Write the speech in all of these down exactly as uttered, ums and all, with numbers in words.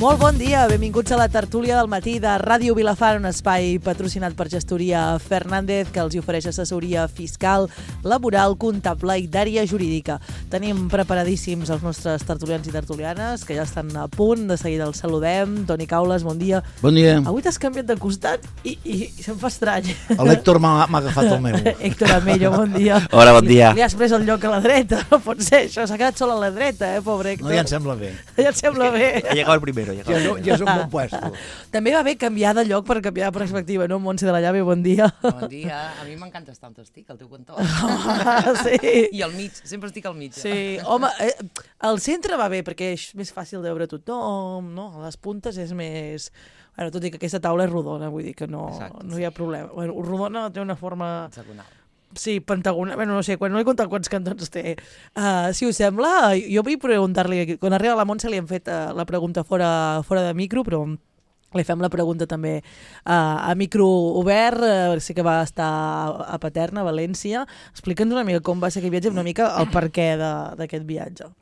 Molt bon dia, benvinguts a la tertúlia del matí de Ràdio Vilafant, un espai patrocinat per Gestoria Fernández que els ofereix assessoria fiscal, laboral, comptable i d'àrea jurídica. Tenim preparadíssims els nostres tertulians i tertulianes que ja estan a punt, de seguida els saludem. Toni Caules, bon dia. Bon dia. Avui t'has canviat de costat i, i, i se'm fa estrany. L'Héctor m'ha agafat el meu. Héctor Amello, bon dia. Hola, bon dia. Li, li has pres el lloc a la dreta, no pot ser, això s'ha quedat sol a la dreta, eh, pobre Héctor. No, ja em sembla bé. Ja et sembla bé. Ha llegado el primero. Ja, no, ja és un bon puesto. També va bé canviar de lloc per canviar de perspectiva, no? Montse de la Llave, bon dia. Bon dia. A mi m'encanta estar on estic, al teu cantó. Ah, sí. I al mig, sempre estic al mig. Sí, home, eh, al centre va bé perquè és més fàcil de veure tothom, no? A les puntes és més... Bueno, tot i que aquesta taula és rodona, vull dir que no, Exacte, no hi ha problema. Bueno, rodona té una forma... Hexagonal. Sí, pentagonal, bueno, no sé, quan no he comptat quants cantons té. Uh, si us sembla, jo vull preguntar-li, quan arriba la Montse li hem fet uh, la pregunta fora, fora de micro, però li fem la pregunta també uh, a micro obert, uh, sé que va estar a Paterna, a València. Explica'ns una mica com va ser aquest viatge, una mica el perquè d'aquest viatge.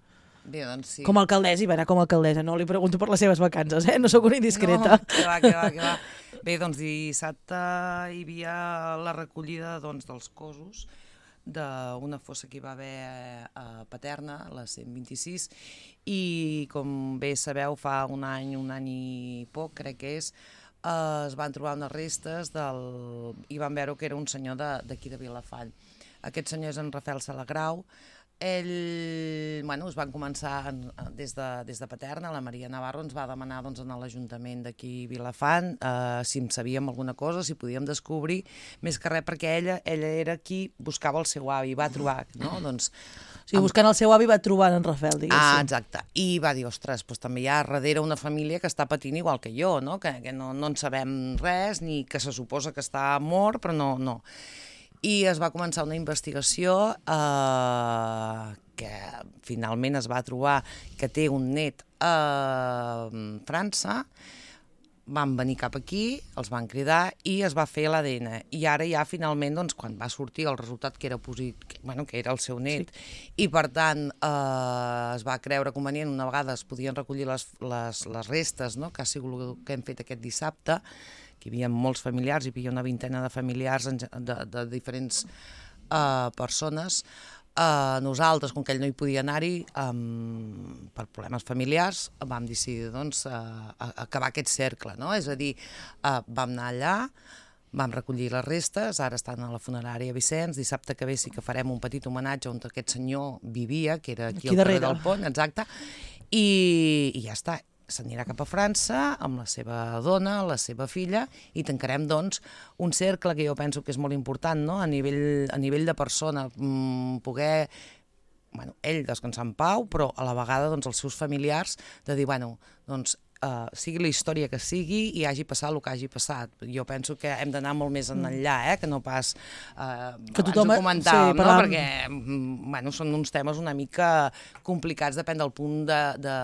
Bé, doncs sí. Com a alcaldessa, i va anar com a alcaldessa, no li pregunto per les seves vacances, eh? No sóc una indiscreta. No, que va, que va, que va. Bé, doncs dissabte hi havia la recollida doncs, dels cossos d'una fossa que hi va haver a Paterna, la cent vint-i-sis, i com bé sabeu, fa un any, un any i poc, crec que és, eh, es van trobar unes restes del... i van veure que era un senyor d'aquí de, de Vilafant. Aquest senyor és en Rafael Salagrau. Ell, bueno, es van començar des de, des de Paterna, la Maria Navarro ens va demanar doncs, a l'Ajuntament d'aquí Vilafant eh, si en sabíem alguna cosa, si podíem descobrir, més que res perquè ella, ella era qui buscava el seu avi, va trobar, no? Doncs, O sigui, buscant el seu avi va trobar en Rafael, diguéssim. Ah, exacte. I va dir, ostres, doncs també hi ha darrere una família que està patint igual que jo, no? Que, que no, no en sabem res, ni que se suposa que està mort, però no, no. I es va començar una investigació eh, que finalment es va trobar que té un net a França. Van venir cap aquí, els van cridar i es va fer l'A D N. I ara ja finalment, doncs, quan va sortir el resultat que era positiu, bueno, que era el seu net, sí. I per tant eh, es va creure convenient, una vegada es podien recollir les, les, les restes, no?, que ha sigut el que hem fet aquest dissabte, que hi havia molts familiars, hi havia una vintena de familiars de, de diferents uh, persones. Uh, nosaltres, com que ell no hi podia anar-hi, um, per problemes familiars, vam decidir doncs, uh, acabar aquest cercle, no? És a dir, uh, vam anar allà, vam recollir les restes, ara estan a la funerària Vicenç, dissabte que ve sí que farem un petit homenatge on aquest senyor vivia, que era aquí, aquí al carrer del Pont, exacte, i, i ja està. S'anirà cap a França amb la seva dona, la seva filla, i tancarem, doncs, un cercle que jo penso que és molt important, no?, a nivell, a nivell de persona, mmm, poder, bueno, ell descansar en pau, però a la vegada, doncs, els seus familiars, de dir, bueno, doncs, uh, sigui la història que sigui i hagi passat el que hagi passat. Jo penso que hem d'anar molt més enllà, eh?, que no pas... Uh, que tothom... abans ho comentàvem, sí, no?, perquè, bueno, són uns temes una mica complicats, depèn del punt de, de,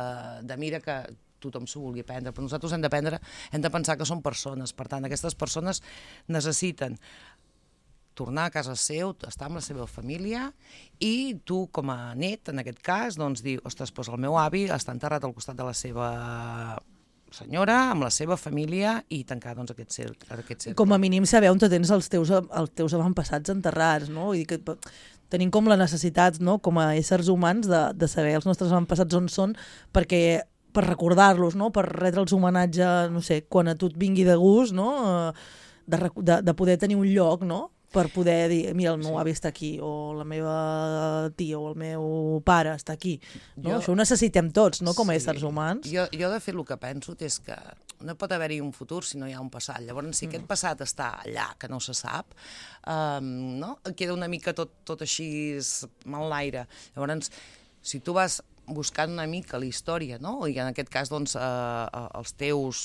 de mira que tothom s'ho vulgui prendre, però nosaltres hem de prendre, hem de pensar que són persones, per tant, aquestes persones necessiten tornar a casa seu, estar amb la seva família, i tu, com a net, en aquest cas, doncs dir, ostres, doncs el meu avi està enterrat al costat de la seva senyora, amb la seva família, i tancar, doncs, aquest cercle. Aquest cercle. Com a mínim saber on tens els teus, els teus avantpassats enterrats, no? Vull dir que tenim com la necessitat, no?, com a éssers humans, de, de saber els nostres avantpassats on són, perquè per recordar-los, no?, per retre'ls homenatge, no sé, quan a tu et vingui de gust, no?, de, de, de poder tenir un lloc, no?, per poder dir, mira, el meu sí. avi està aquí, o la meva tia o el meu pare està aquí. No? Jo... Això ho necessitem tots, no?, com a sí. éssers humans. Jo, jo, de fet, el que penso és que no pot haver-hi un futur si no hi ha un passat. Llavors, si mm. aquest passat està allà, que no se sap, um, no?, queda una mica tot, tot així mal l'aire. Llavors, si tu vas buscant una mica la història, no?, i en aquest cas, doncs, eh, els teus,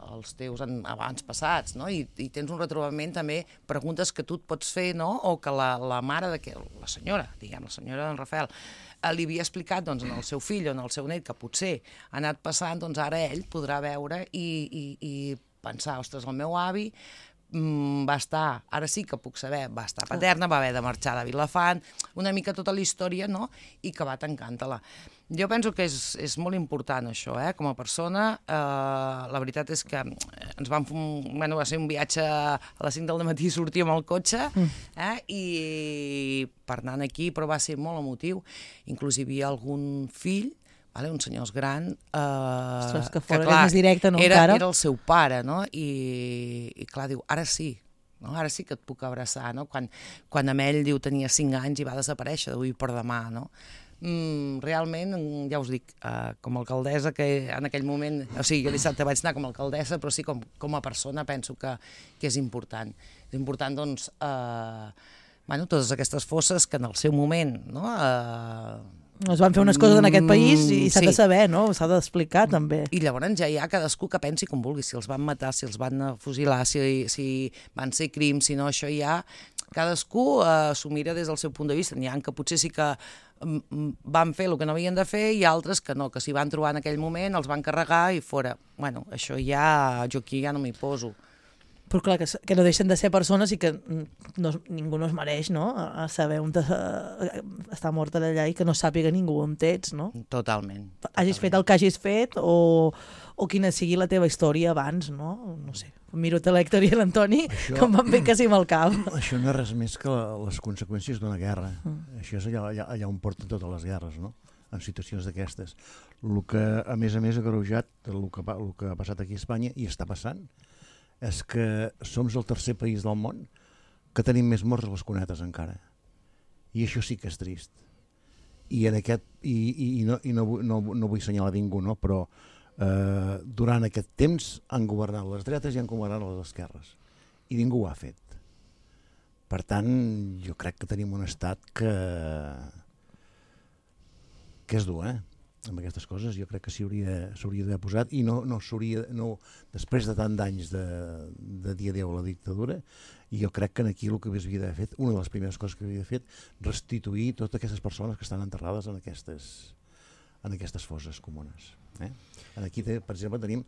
els teus abans passats, no?, I, i tens un retrobament també, preguntes que tu et pots fer, no?, o que la, la mare de que, la senyora, diguem, la senyora d'en Rafael, eh, li havia explicat, doncs, en el seu fill o en el seu net, que potser ha anat passant, doncs ara ell podrà veure i, i, i pensar, ostres, el meu avi mm, va estar, ara sí que puc saber, va estar Paterna, va haver de marxar de Vilafant, una mica tota la història, no?, i que va tancant-la. Jo penso que és, és molt important això, eh? Com a persona. Eh, la veritat és que ens vam fer un, bueno, va ser un viatge a les cinc del matí, sortíem al cotxe, eh? I per anar aquí, però va ser molt emotiu. Inclús hi havia algun fill, vale? Un senyors gran, eh, Ostres, que fora, que clar, més directe, no, era, encara? era el seu pare, no? I, i clar, diu, ara sí, no? Ara sí que et puc abraçar, no? Quan, quan amb ell, diu, tenia cinc anys i va desaparèixer d'avui per demà, no? Mm, realment, ja us dic, uh, com a alcaldessa, que en aquell moment, o sigui, jo dissabte vaig anar com a alcaldessa, però sí, com, com a persona penso que, que és important. És important, doncs, uh, bueno, totes aquestes fosses que en el seu moment, no?, uh, es van fer unes coses en aquest país i s'ha sí. de saber, no? S'ha d'explicar, també. I llavors ja hi ha cadascú que pensi com vulgui, si els van matar, si els van fusilar, si, si van ser crims, si no, això ja... Cadascú eh, s'ho mira des del seu punt de vista. N'hi ha que potser sí que mm, van fer el que no havien de fer i altres que no, que s'hi van trobar en aquell moment, els van carregar i fora. Bueno, això ja, jo aquí ja no m'hi poso. Però clar, que, que no deixen de ser persones i que no, ningú no es mereix, no?, a saber on te, està morta d'allà i que no sàpiga ningú on ets, no? Totalment. totalment. Hagis fet el que hagis fet o, o quina sigui la teva història abans, no? No sé. Miro a l'Hèctor i l'Antoni, Això- que em van fer quasi amb el cap. Això no és res més que la- les conseqüències d'una guerra. Mm. Això és allà, allà, allà on porten totes les guerres, no?, en situacions d'aquestes. El que, a més a més, ha agreujat el que, pa- el que ha passat aquí a Espanya, i està passant, és que som el tercer país del món que tenim més morts a les cunetes encara. I això sí que és trist. I, en aquest, i, i, i, no, i no, vull- no, no vull assenyalar ningú, no? Però eh, durant aquest temps han governat les dretes i han governat les esquerres. I ningú ho ha fet. Per tant, jo crec que tenim un estat que, que és dur, eh? Amb aquestes coses jo crec que s'hauria d'haver posat i no, no s'hauria, no, després de tant d'anys de, de dia adeu a la dictadura, i jo crec que aquí el que havia d'haver fet, una de les primeres coses que havia fet, restituir totes aquestes persones que estan enterrades en aquestes, en aquestes fosses comunes. Eh? Aquí, té, per exemple, tenim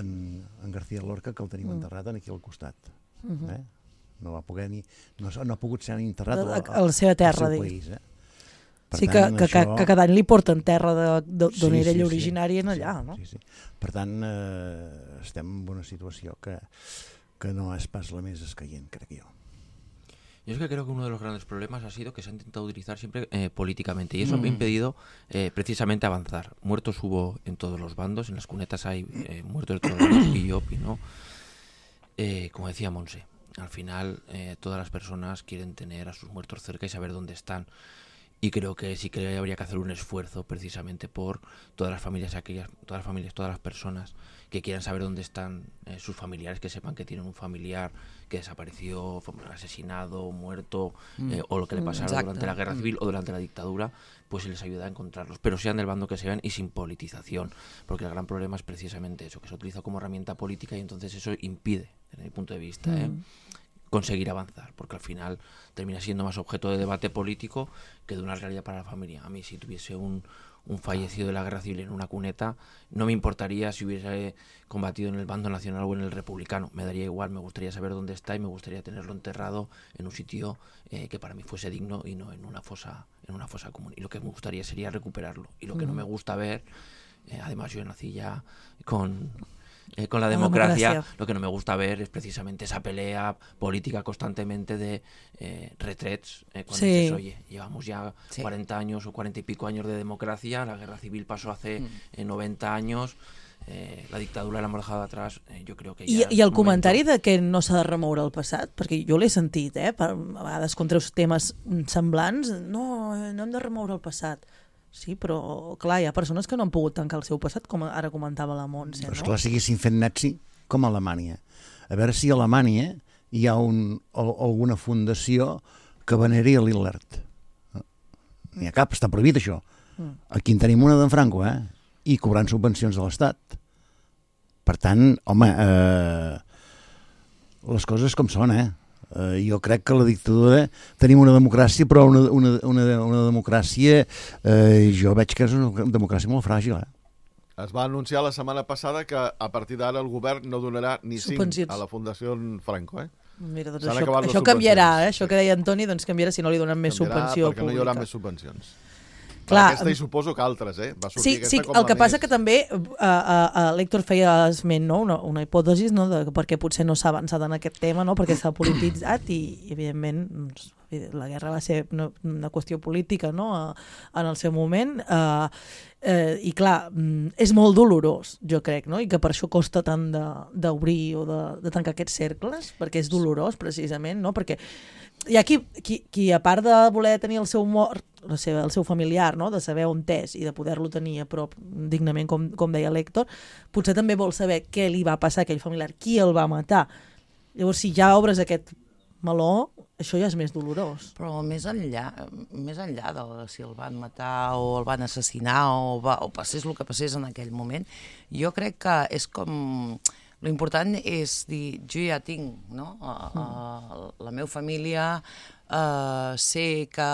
en, en García Lorca, que el tenim mm. enterrat aquí al costat. Mm-hmm. eh? No va poder ni, no, no ha pogut ser enterrat A, a la seva terra, al seu digues. país. Eh? Per Sí, tant, que, que, això... que cada any li porten terra d'on Sí, era sí, ell sí. originari en allà, Sí, no? sí, sí. Per tant, eh, estem en una situació que, que no és pas la més escaient, crec jo. Yo es que creo que uno de los grandes problemas ha sido que se ha intentado utilizar siempre eh, políticamente y eso Mm. me ha impedido eh, precisamente avanzar. Muertos hubo en todos los bandos, en las cunetas hay eh, muertos de todos los bandos y yo opino, eh, como decía Monse, al final eh, todas las personas quieren tener a sus muertos cerca y saber dónde están. Y creo que sí que habría que hacer un esfuerzo precisamente por todas las familias, aquellas, todas las familias, todas las personas que quieran saber dónde están eh, sus familiares, que sepan que tienen un familiar que desapareció, fue asesinado, muerto, Mm. eh, o lo que le Mm, pasara exacte. durante la guerra civil o durante la dictadura, pues se les ayuda a encontrarlos, pero sean del bando que sean y sin politización, porque el gran problema es precisamente eso, que se utiliza como herramienta política y entonces eso impide, desde mi punto de vista, Mm. ¿eh? conseguir avanzar, porque al final termina siendo más objeto de debate político que de una realidad para la familia. A mí, si tuviese un, un fallecido de la guerra civil en una cuneta, no me importaría si hubiese combatido en el bando nacional o en el republicano, me daría igual, me gustaría saber dónde está y me gustaría tenerlo enterrado en un sitio eh, que para mí fuese digno y no en una fosa, en una fosa común. Y lo que me gustaría sería recuperarlo. Y lo que no me gusta ver, eh, además yo nací ya con... Eh, con la democracia, democracia. lo que no me gusta ver es precisamente esa pelea política constantemente de eh, retrets, eh, cuando Sí. dices, oye, llevamos ya Sí. cuarenta años o cuarenta y pico años de democracia, la guerra civil pasó hace Mm. eh, noventa años, eh, la dictadura la hemos dejado atrás, eh, yo creo que I, ja I és el momento. comentari de que no s'ha de remoure el passat, perquè jo l'he sentit, eh? Per, a vegades contra els temes semblants, no, no hem de remoure el passat. Sí, però clar, hi ha persones que no han pogut tancar el seu passat, com ara comentava la Montse, Però no? esclar, si haguessin fet nazi com a Alemanya. A veure si a Alemanya hi ha un, o, alguna fundació que veneri a Hitler. N'hi ha cap, està prohibit això. Mm. Aquí en tenim una d'en Franco, eh? I cobrant subvencions de l'Estat. Per tant, home, eh, les coses com són, eh? Eh, jo crec que la dictadura tenim una democràcia, però una, una, una, una democràcia eh, jo veig que és una democràcia molt fràgil, eh? Es va anunciar la setmana passada que a partir d'ara el govern no donarà ni cinc a la Fundació Franco, eh? Mira, doncs això, això canviarà, eh? Això que deia Antoni, doncs canviarà si no li donen més canviarà subvenció perquè pública. no hi haurà més subvencions. Clar, aquesta i suposo que altres, eh? Va sortir sí, aquesta sí, com el que més... passa que també uh, uh, uh, l'Héctor feia esment, no? una, una hipòtesi, no? de perquè potser no s'ha avançat en aquest tema, no? perquè s'ha polititzat i, evidentment, doncs, la guerra va ser una, una qüestió política, no? en el seu moment, uh, uh, i clar, és molt dolorós, jo crec, no? I que per això costa tant d'obrir o de, de tancar aquests cercles, perquè és dolorós, precisament, no? Perquè hi ha qui, qui, qui, a part de voler tenir el seu mort, la seva, el seu familiar, no? de saber on és i de poder-lo tenir a prop dignament, com, com deia l'Héctor, potser també vol saber què li va passar a aquell familiar, qui el va matar. Llavors, si ja obres aquest meló, això ja és més dolorós. Però més enllà, més enllà de si el van matar o el van assassinar o, va, o passés el que passés en aquell moment, jo crec que és com... L'important és dir, jo ja tinc, no? Uh, uh, la meva família uh, sé que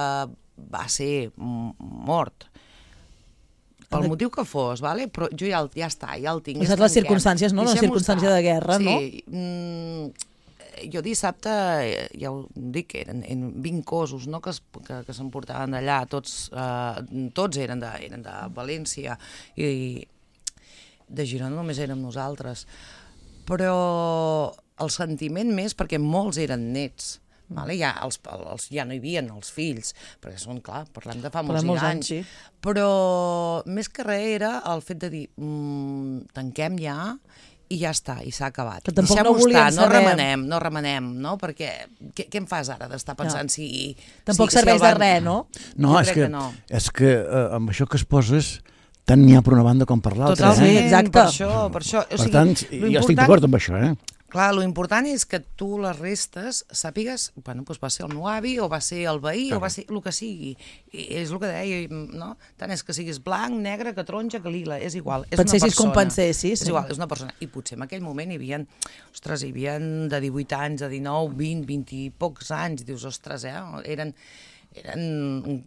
va ser mort pel motiu que fos, vale? Però jo ja, ja està, ja el tinc. Saps les circumstàncies, no? Una circumstància de guerra, sí, no? Mm, jo dissabte, ja ho dic, eren, eren vint cossos, no? que, es, que, que s'emportaven d'allà, tots, uh, tots eren, de, eren de València i de Girona només érem nosaltres. Però el sentiment més, perquè molts eren nets, vale? ja, els, els, ja no hi havia els fills, perquè són, clar, parlem de fa molts, molts anys, anys sí. Però més que res era el fet de dir mmm, tanquem ja i ja està, i s'ha acabat. Que tampoc no volien estar, no remenem, no remenem, no? Perquè què, què em fas ara d'estar pensant no. si... Tampoc si, serveix si van... de res, no? No, jo és que, que no. és que eh, amb això que es poses tant n'hi ha per una banda com per l'altra. Totalment, eh? exacte. Per això, per això. O per sigui, tant, jo estic d'acord amb això, eh? Clar, l'important és que tu les restes sàpigues, bueno, doncs va ser el meu avi, o va ser el veí, Clar. o va ser el que sigui. I és el que deia, no? Tant és que siguis blanc, negre, que taronja, que lila, és igual. És pensessis una persona. com pensessis. És igual, és una persona. I potser en aquell moment hi havia, ostres, hi havia de divuit anys, de dinou, vint, vint i pocs anys, dius, ostres, eh? Eren, eren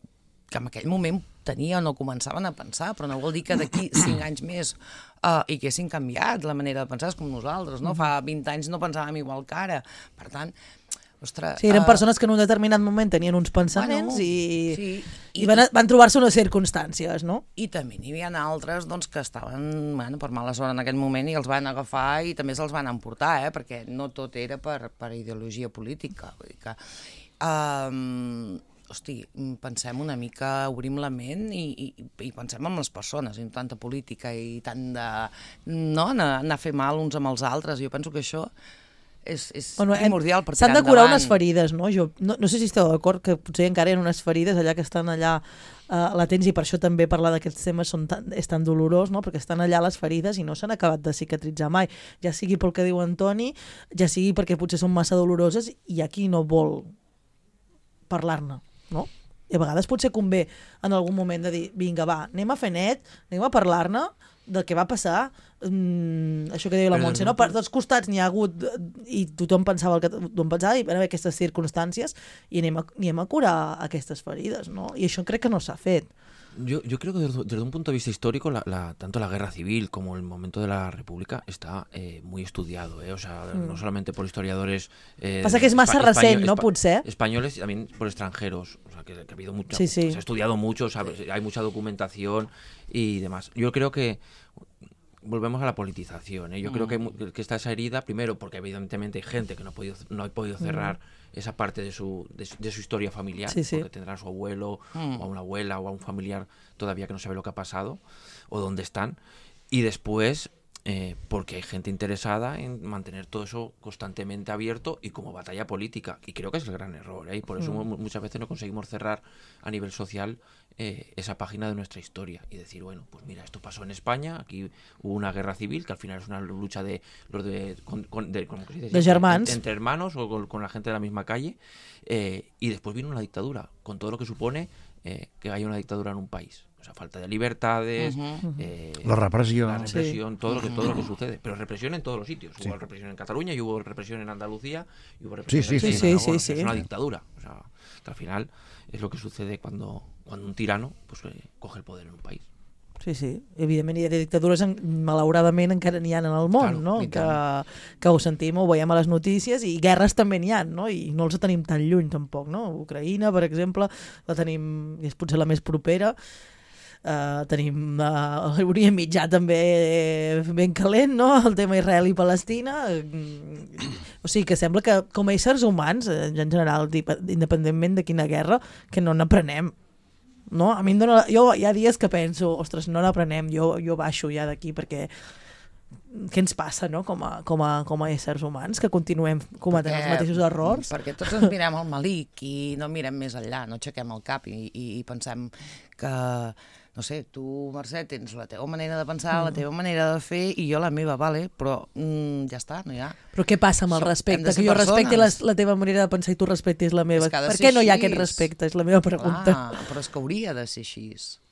que en aquell moment tenien o començaven a pensar, però no vol dir que d'aquí cinc anys més uh, i que haguessin canviat la manera de pensar, és com nosaltres, no? Fa vint anys no pensàvem igual que ara. Per tant, ostres... Sí, eren uh, persones que en un determinat moment tenien uns pensaments bueno, i, sí, i, i van, van trobar-se unes circumstàncies, no? I també n'hi havia altres doncs, que estaven bueno, per mala sort en aquell moment i els van agafar i també se'ls van emportar, eh? Perquè no tot era per, per ideologia política. Vull dir que... Um, hosti, pensem una mica, obrim la ment i, i, i pensem en les persones, i no tanta política i tant de... no, anar, anar a fer mal uns amb els altres. Jo penso que això és, és bueno, primordial per tirar endavant. S'han de curar unes ferides, no? Jo no, no sé si esteu d'acord que potser encara hi ha unes ferides allà que estan allà uh, latents i per això també parlar d'aquests temes són tan, és tan dolorós, no? Perquè estan allà les ferides i no s'han acabat de cicatritzar mai. Ja sigui pel que diu Antoni, ja sigui perquè potser són massa doloroses i hi ha qui no vol parlar-ne. No? I a vegades potser convé en algun moment de dir, vinga, va, anem a fer net, anem a parlar-ne del que va passar, mm, això que deia la Montse, no? Per tots costats n'hi ha hagut, i tothom pensava el que tothom pensava, i van haver aquestes circumstàncies, i anem a, anem a curar aquestes ferides, no? I això crec que no s'ha fet. Yo, yo creo que desde, desde un punto de vista histórico, la, la, tanto la guerra civil como el momento de la República está eh, muy estudiado, ¿eh? O sea, mm. no solamente por historiadores... Eh, Pasa que es más reciente, ¿no? Potser. Españoles y también por extranjeros, o sea, que, que ha habido mucha... Sí, sí. Se ha estudiado mucho, o sea, hay mucha documentación y demás. Yo creo que... Volvemos a la politización, ¿eh? Yo mm. creo que, que está esa herida, primero porque evidentemente hay gente que no ha podido, no ha podido cerrar mm. esa parte de su, de su, de su historia familiar, sí, sí. porque tendrá a su abuelo mm. o a una abuela o a un familiar todavía que no sabe lo que ha pasado o dónde están, y después eh, porque hay gente interesada en mantener todo eso constantemente abierto y como batalla política, y creo que es el gran error, ¿eh? Y por eso mm. muchas veces no conseguimos cerrar a nivel social eh, esa página de nuestra historia y decir, bueno, pues mira, esto pasó en España, aquí hubo una guerra civil que al final es una lucha de los de, con, con, de, ¿cómo se dice? de germans, entre, entre hermanos o con, con la gente de la misma calle, eh, y después vino una dictadura con todo lo que supone eh, que haya una dictadura en un país. O sea, falta de libertades, uh-huh. eh, la represión, la represión sí. todo, lo que, todo lo que sucede. Pero represión en todos los sitios. Sí. Hubo represión en Cataluña, y hubo represión en Andalucía, y hubo represión sí, en, sí, en sí, Aragón. sí, O sea, sí. Es una dictadura. O sea, al final es lo que sucede cuando, cuando un tirano pues, eh, coge el poder en un país. Sí, sí. Evidentment hi ha dictadures, malauradament encara n'hi ha en el món, claro, no? Que, que ho sentim, ho veiem a les notícies, i guerres també n'hi ha, no? I no els tenim tan lluny tampoc, no? Ucraïna, per exemple, la tenim, i és potser la més propera. Uh, tenim uh, l'Orient Mitjà també ben calent, no? El tema Israel i Palestina. O sigui que sembla que com a éssers humans, en general, independentment de quina guerra, que no n'aprenem. No? A mi em dona... Jo hi ha dies que penso, ostres, no n'aprenem, jo, jo baixo ja d'aquí perquè què ens passa, no? Com a, com a, com a éssers humans, que continuem cometent perquè, els mateixos errors? Perquè tots ens mirem al malic i no mirem més enllà, no aixequem el cap i, i, i pensem que, no sé, tu, Mercè, tens la teva manera de pensar, mm. la teva manera de fer i jo la meva, vale, però mm, ja està, no hi ha. Però què passa amb el respecte? Que jo respecti la, la teva manera de pensar i tu respectis la meva. Per què no hi ha aquest respecte? És la meva pregunta. Clar, però és que hauria de ser així.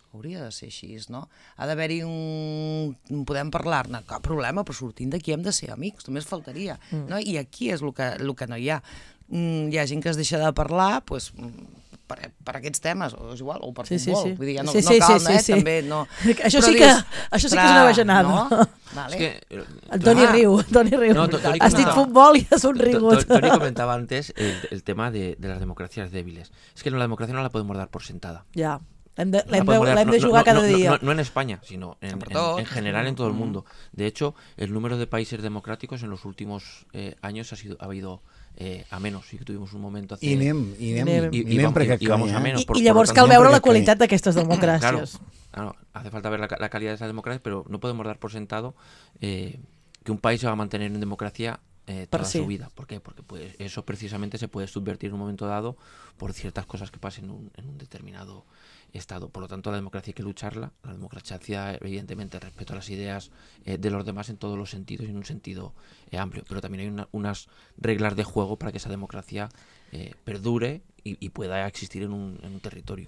Hauria de ser així, no? Ha d'haver-hi un... Podem parlar-ne, cap problema, però sortint d'aquí hem de ser amics, només faltaria. Mm. No? I aquí és el que, el que no hi ha. Mm, hi ha gent que es deixa de parlar, doncs... Per, per aquests temes, o és igual, o per sí, futbol, sí, sí. vull dir, ja no, sí, no cal, sí, sí, eh, sí. també, no. Això Però sí, que, dius, això sí que és una bajanada. No? Vale. Es que, el Toni ah, riu, Toni riu. No, Toni Has dit futbol i has somrigut. Toni comentaba antes el, el tema de, de las democracias débiles. Es que la democracia no la podemos dar por sentada. Ya. Hem de, l'hem de, l'hem de jugar no, cada no, día. No, no, no en España, sino en, en, en general en todo el mundo. De hecho, el número de países democráticos en los últimos eh, años ha, sido, ha habido eh, a menos. Sí que tuvimos un momento hace... I anem, i anem, I, i, i, vamos, i, i vamos a menos. I, por, i llavors cal veure la qualitat d'aquestes democràcies. Claro, claro, hace falta ver la, la calidad de esas democracias, pero no podemos dar por sentado eh, que un país se va a mantener en democracia eh, toda sí. su vida. ¿Por qué? Porque pues, eso precisamente se puede subvertir en un momento dado por ciertas cosas que pasen en un, en un determinado Estado. Por lo tanto, la democracia hay que lucharla. La democracia, evidentemente, respeto a las ideas eh, de los demás en todos los sentidos y en un sentido eh, amplio. Pero también hay una, unas reglas de juego para que esa democracia eh, perdure i, i pueda existir en un, en un territori.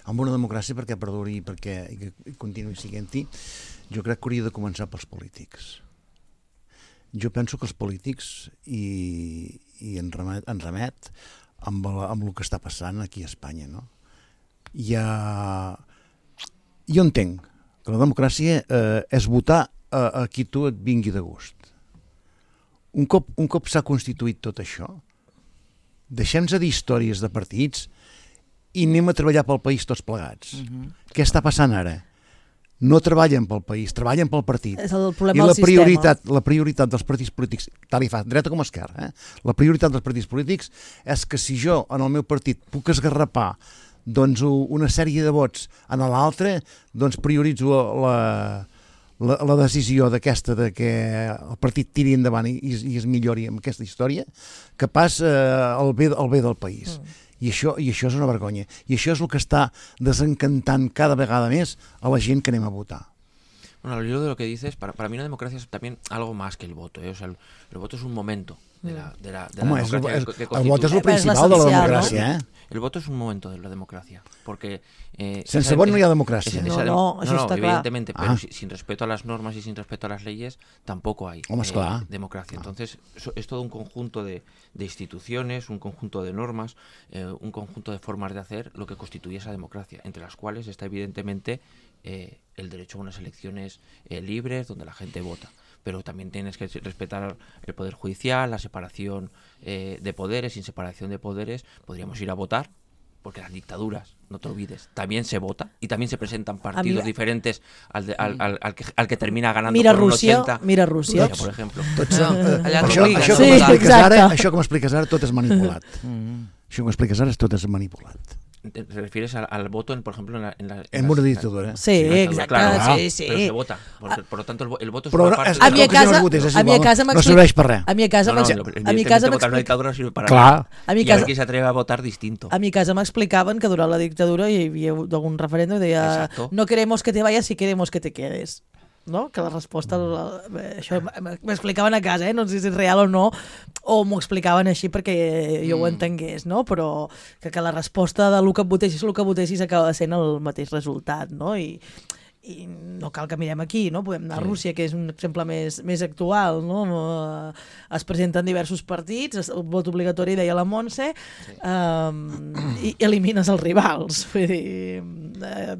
Amb una democràcia perquè perduri i perquè i continuï siguent-hi, jo crec que hauria de començar pels polítics. Jo penso que els polítics, i, i en remet, en remet amb, la, amb el que està passant aquí a Espanya, no? Ja... Jo entenc que la democràcia eh, és votar a, a qui tu et vingui de gust. Un cop, un cop s'ha constituït tot això, deixem-nos dir històries de partits i anem a treballar pel país tots plegats. Uh-huh. Què està passant ara? No treballen pel país, treballen pel partit. És el problema I la del prioritat, sistema. la prioritat dels partits polítics, tal i fa, dreta com esquerra, eh? La prioritat dels partits polítics és que si jo en el meu partit puc esgarrapar doncs una sèrie de vots en l'altre, doncs prioritzo la, la, la decisió d'aquesta de que el partit tiri endavant i, i es millori amb aquesta història que pas eh, el, bé, el bé del país. Mm. I això, I això és una vergonya. I això és el que està desencantant cada vegada més a la gent que anem a votar. Bueno, al hilo de lo que dices, para, para mí una democracia es también algo más que el voto, ¿eh? O sea, el, el voto es un momento de la, de la, de Home, la democracia. És, que, és, que el vot és el principal és de la democràcia, ¿no? eh? El voto es un momento de la democracia, porque... Eh, Sense esa, vot no hi ha democràcia. Esa, no, esa, no, no, això no, està evidentemente, clar. pero Ah. si, sin respeto a las normas y sin respeto a las leyes, tampoco hay Home, eh, democracia. Entonces, eso es todo un conjunto de, de instituciones, un conjunto de normas, eh, un conjunto de formas de hacer lo que constituye esa democracia, entre las cuales está evidentemente eh, el derecho a unas elecciones eh, libres, donde la gente vota. Pero también tienes que respetar el poder judicial, la separación eh, de poderes. Sin separación de poderes podríamos ir a votar, porque las dictaduras, no te olvides, también se vota y también se presentan partidos Mira, diferentes al, de, al, al, al, que, al que termina ganando mira por un Rússia, ochenta. mira Rússia. Por ejemplo. Tots, No, eh, allà això, t'obliguen. això, Sí, com expliques exacte. ara, això com expliques ara tot és manipulat. Mm. Això com expliques ara tot és manipulat. ¿Te refieres al, al voto, en, por ejemplo, en, la, en, la, en En las- una dictadura. Sí, Sí, exacte, claro, sí, sí. Pero se vota. Por, por lo tanto, el, vo- el voto es Però una no, parte és, de A la mi a és que si no casa- es votés, és a mi a igual, casa no m'explica- serveix per res. A mi a casa No, no, m'ex- lo- a mi a evidentemente casa votar en una m'explica- dictadura no sirve para Clar. nada. A mi Y casa- aquí se atreve a votar distinto. A mi casa m'explicaven que durant la dictadura hi havia algun referèndum que deia Exacto. no queremos que te vayas si queremos que te quedes. No? Que la resposta, la, això m'explicaven a casa, eh? No sé si és real o no, o m'ho explicaven així perquè jo ho entengués, no? Però que, que la resposta de el que votessis, el que votessis acaba sent el mateix resultat, no? I, i no cal que mirem aquí, no? Podem anar a Rússia, que és un exemple més, més actual, no? Es presenten diversos partits, el vot obligatori, deia la Montse, sí. um, i elimines els rivals. Vull dir, uh,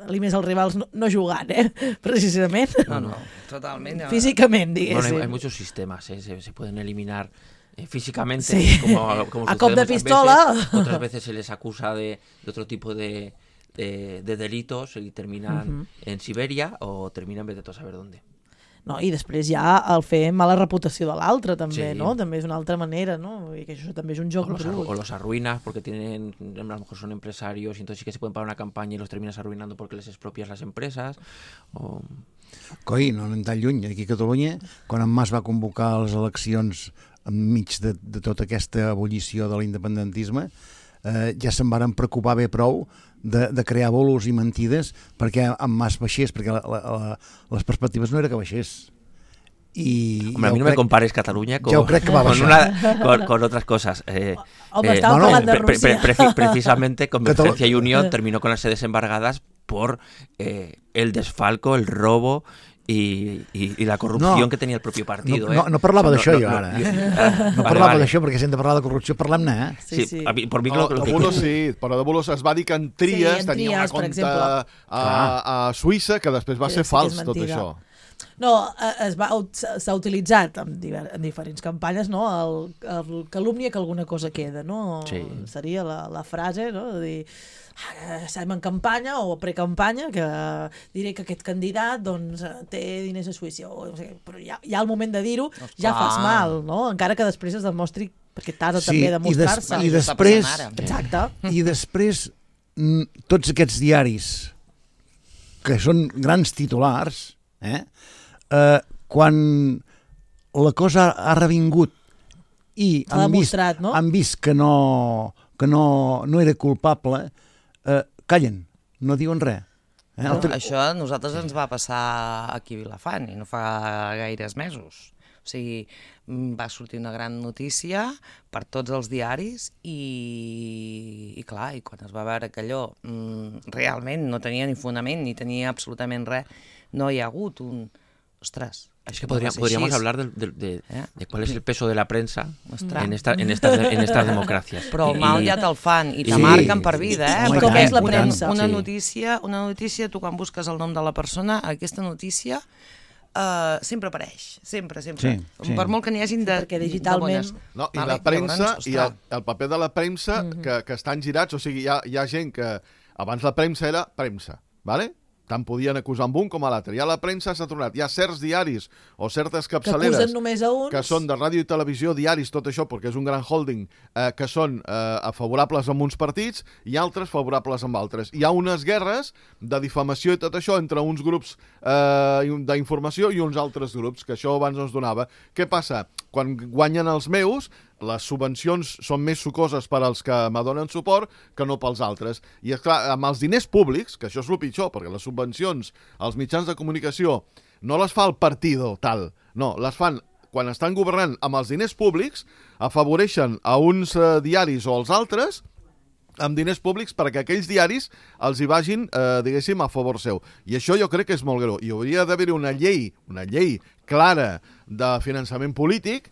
elimines els rivals no, no jugant, eh? Precisament. No, no, totalment. Físicament, diguéssim. Bueno, hay, hay muchos sistemas, ¿eh? se, se pueden eliminar eh, físicamente, sí. como, como a cop de pistola. Veces, otras veces se les acusa de, de otro tipo de... De, de delitos y terminan uh-huh. en Siberia o terminan vete a saber dónde. No, i després ja el fer mala reputació de l'altre també, sí. no? També és una altra manera, no? I que això també és un joc o los, brut. O los arruinas porque tienen, a lo mejor son empresarios y entonces sí que se pueden pagar una campaña y los terminas arruinando porque les expropias las empresas. O... Coi, no anem tan lluny. Aquí a Catalunya, quan en Mas va convocar les eleccions enmig de, de tota aquesta ebullició de l'independentisme, eh, ja se'n varen preocupar bé prou de, de crear bolos i mentides perquè en Mas baixés, perquè la, la, la, les perspectives no era que baixés. Y Hombre, a mí no crec, me compares Cataluña con, con, una, con, con otras cosas. Eh, Home, eh, no, no, pre, pre, pre, pre, precisamente Convergencia Catalu- y Unión terminó con las sedes embargadas por eh, el desfalco, el robo y, y, y la corrupción no, que tenía el propio partido. No, no, eh. no parlava o d'això sea, no, jo no, ara. No, Eh? no, no vale, parlava vale. d'això, perquè si hem de parlar de corrupció, parlem-ne, eh? Sí, Sí, sí. a mi, por mí No, lo, lo de que... bolos sí, però de bolos es va dir que en Trias Sí, en tenia Trias, una per compte exemple. a, a Suïssa que després va Que ser sí que és fals, tot mentida. això. No, es va, s'ha utilitzat en, diver, en diferents campanyes, no? El, el calúmnia que alguna cosa queda, no? Sí. Seria la, la frase, no? De dir, ah, estem en campanya o precampanya, que diré que aquest candidat doncs, té diners a Suïssa, o, no sé, però ja, ja al moment de dir-ho ja fas mal, no? Encara que després es demostri, perquè t'has de Sí, també demostrar-se. i, des, i després, Exacte. i després mm, tots aquests diaris que són grans titulars, eh? Eh, quan la cosa ha revingut i S'ha han vist, demostrat, no? han vist que no, que no, no era culpable, eh, callen, no diuen res. Eh? No, Altre... això a nosaltres ens va passar aquí a Vilafant i no fa gaires mesos. O sigui, va sortir una gran notícia per tots els diaris i, i clar, i quan es va veure que allò mm, realment no tenia ni fonament ni tenia absolutament res, no hi ha hagut un... Ostres, es que podría, podríamos hablar de, de, de, ¿Eh? de cuál es el peso de la prensa Ostres. en, esta, en, estas, en estas democracias. Però el mal ja te'l fan i te Sí. marquen per vida, eh? I- i Perquè com és la una, premsa? una, Sí. notícia, una notícia, tu quan busques el nom de la persona, aquesta notícia uh, sempre apareix, sempre, sempre. Sí, sí. Per molt que n'hi hagin de... Perquè digitalment- de bones. No, I Vale, la premsa llavors, i el, ostres. el paper de la premsa Mhm. que, que estan girats, o sigui, hi ha, hi ha gent que abans la premsa era premsa, ¿vale? Tant podien acusar amb un com a l'altre. Ja la premsa s'ha tornat. Hi ha certs diaris o certes Que capçaleres acusen només a uns. que són de ràdio i televisió, diaris, tot això, perquè és un gran holding, eh, que són eh, favorables amb uns partits i altres favorables amb altres. Hi ha unes guerres de difamació i tot això entre uns grups eh, d'informació i uns altres grups, que això abans no es donava. Què passa? Quan guanyen els meus, les subvencions són més sucoses per als que me donen suport que no pels altres. I, esclar, amb els diners públics, que això és el pitjor, perquè les subvencions als mitjans de comunicació no les fa el partido tal, no, les fan quan estan governant amb els diners públics, afavoreixen a uns eh, diaris o als altres amb diners públics perquè aquells diaris els hi vagin, eh, diguéssim, a favor seu. I això jo crec que és molt greu. I hauria d'haver-hi una llei, una llei clara de finançament polític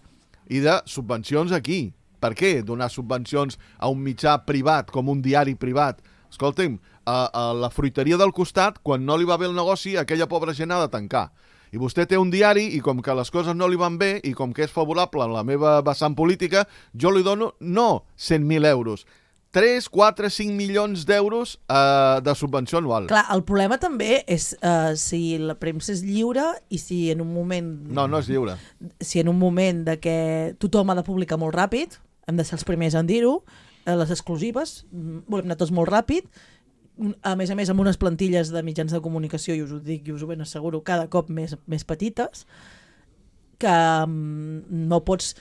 i de subvencions aquí. Per què donar subvencions a un mitjà privat, com un diari privat? Escolta'm, a, a la fruiteria del costat, quan no li va bé el negoci, aquella pobra gent ha de tancar. I vostè té un diari i com que les coses no li van bé i com que és favorable en la meva vessant política, jo li dono, no cent mil euros, tres, quatre, cinc milions d'euros eh, de subvenció anual. Clar, el problema també és uh, si la premsa és lliure i si en un moment... No, no és lliure. Si en un moment de que tothom ha de publicar molt ràpid, hem de ser els primers en dir-ho, eh, les exclusives, mm, volem anar tots molt ràpid, a més a més amb unes plantilles de mitjans de comunicació, i us ho dic i us ho ben asseguro, cada cop més, més petites, que um, no pots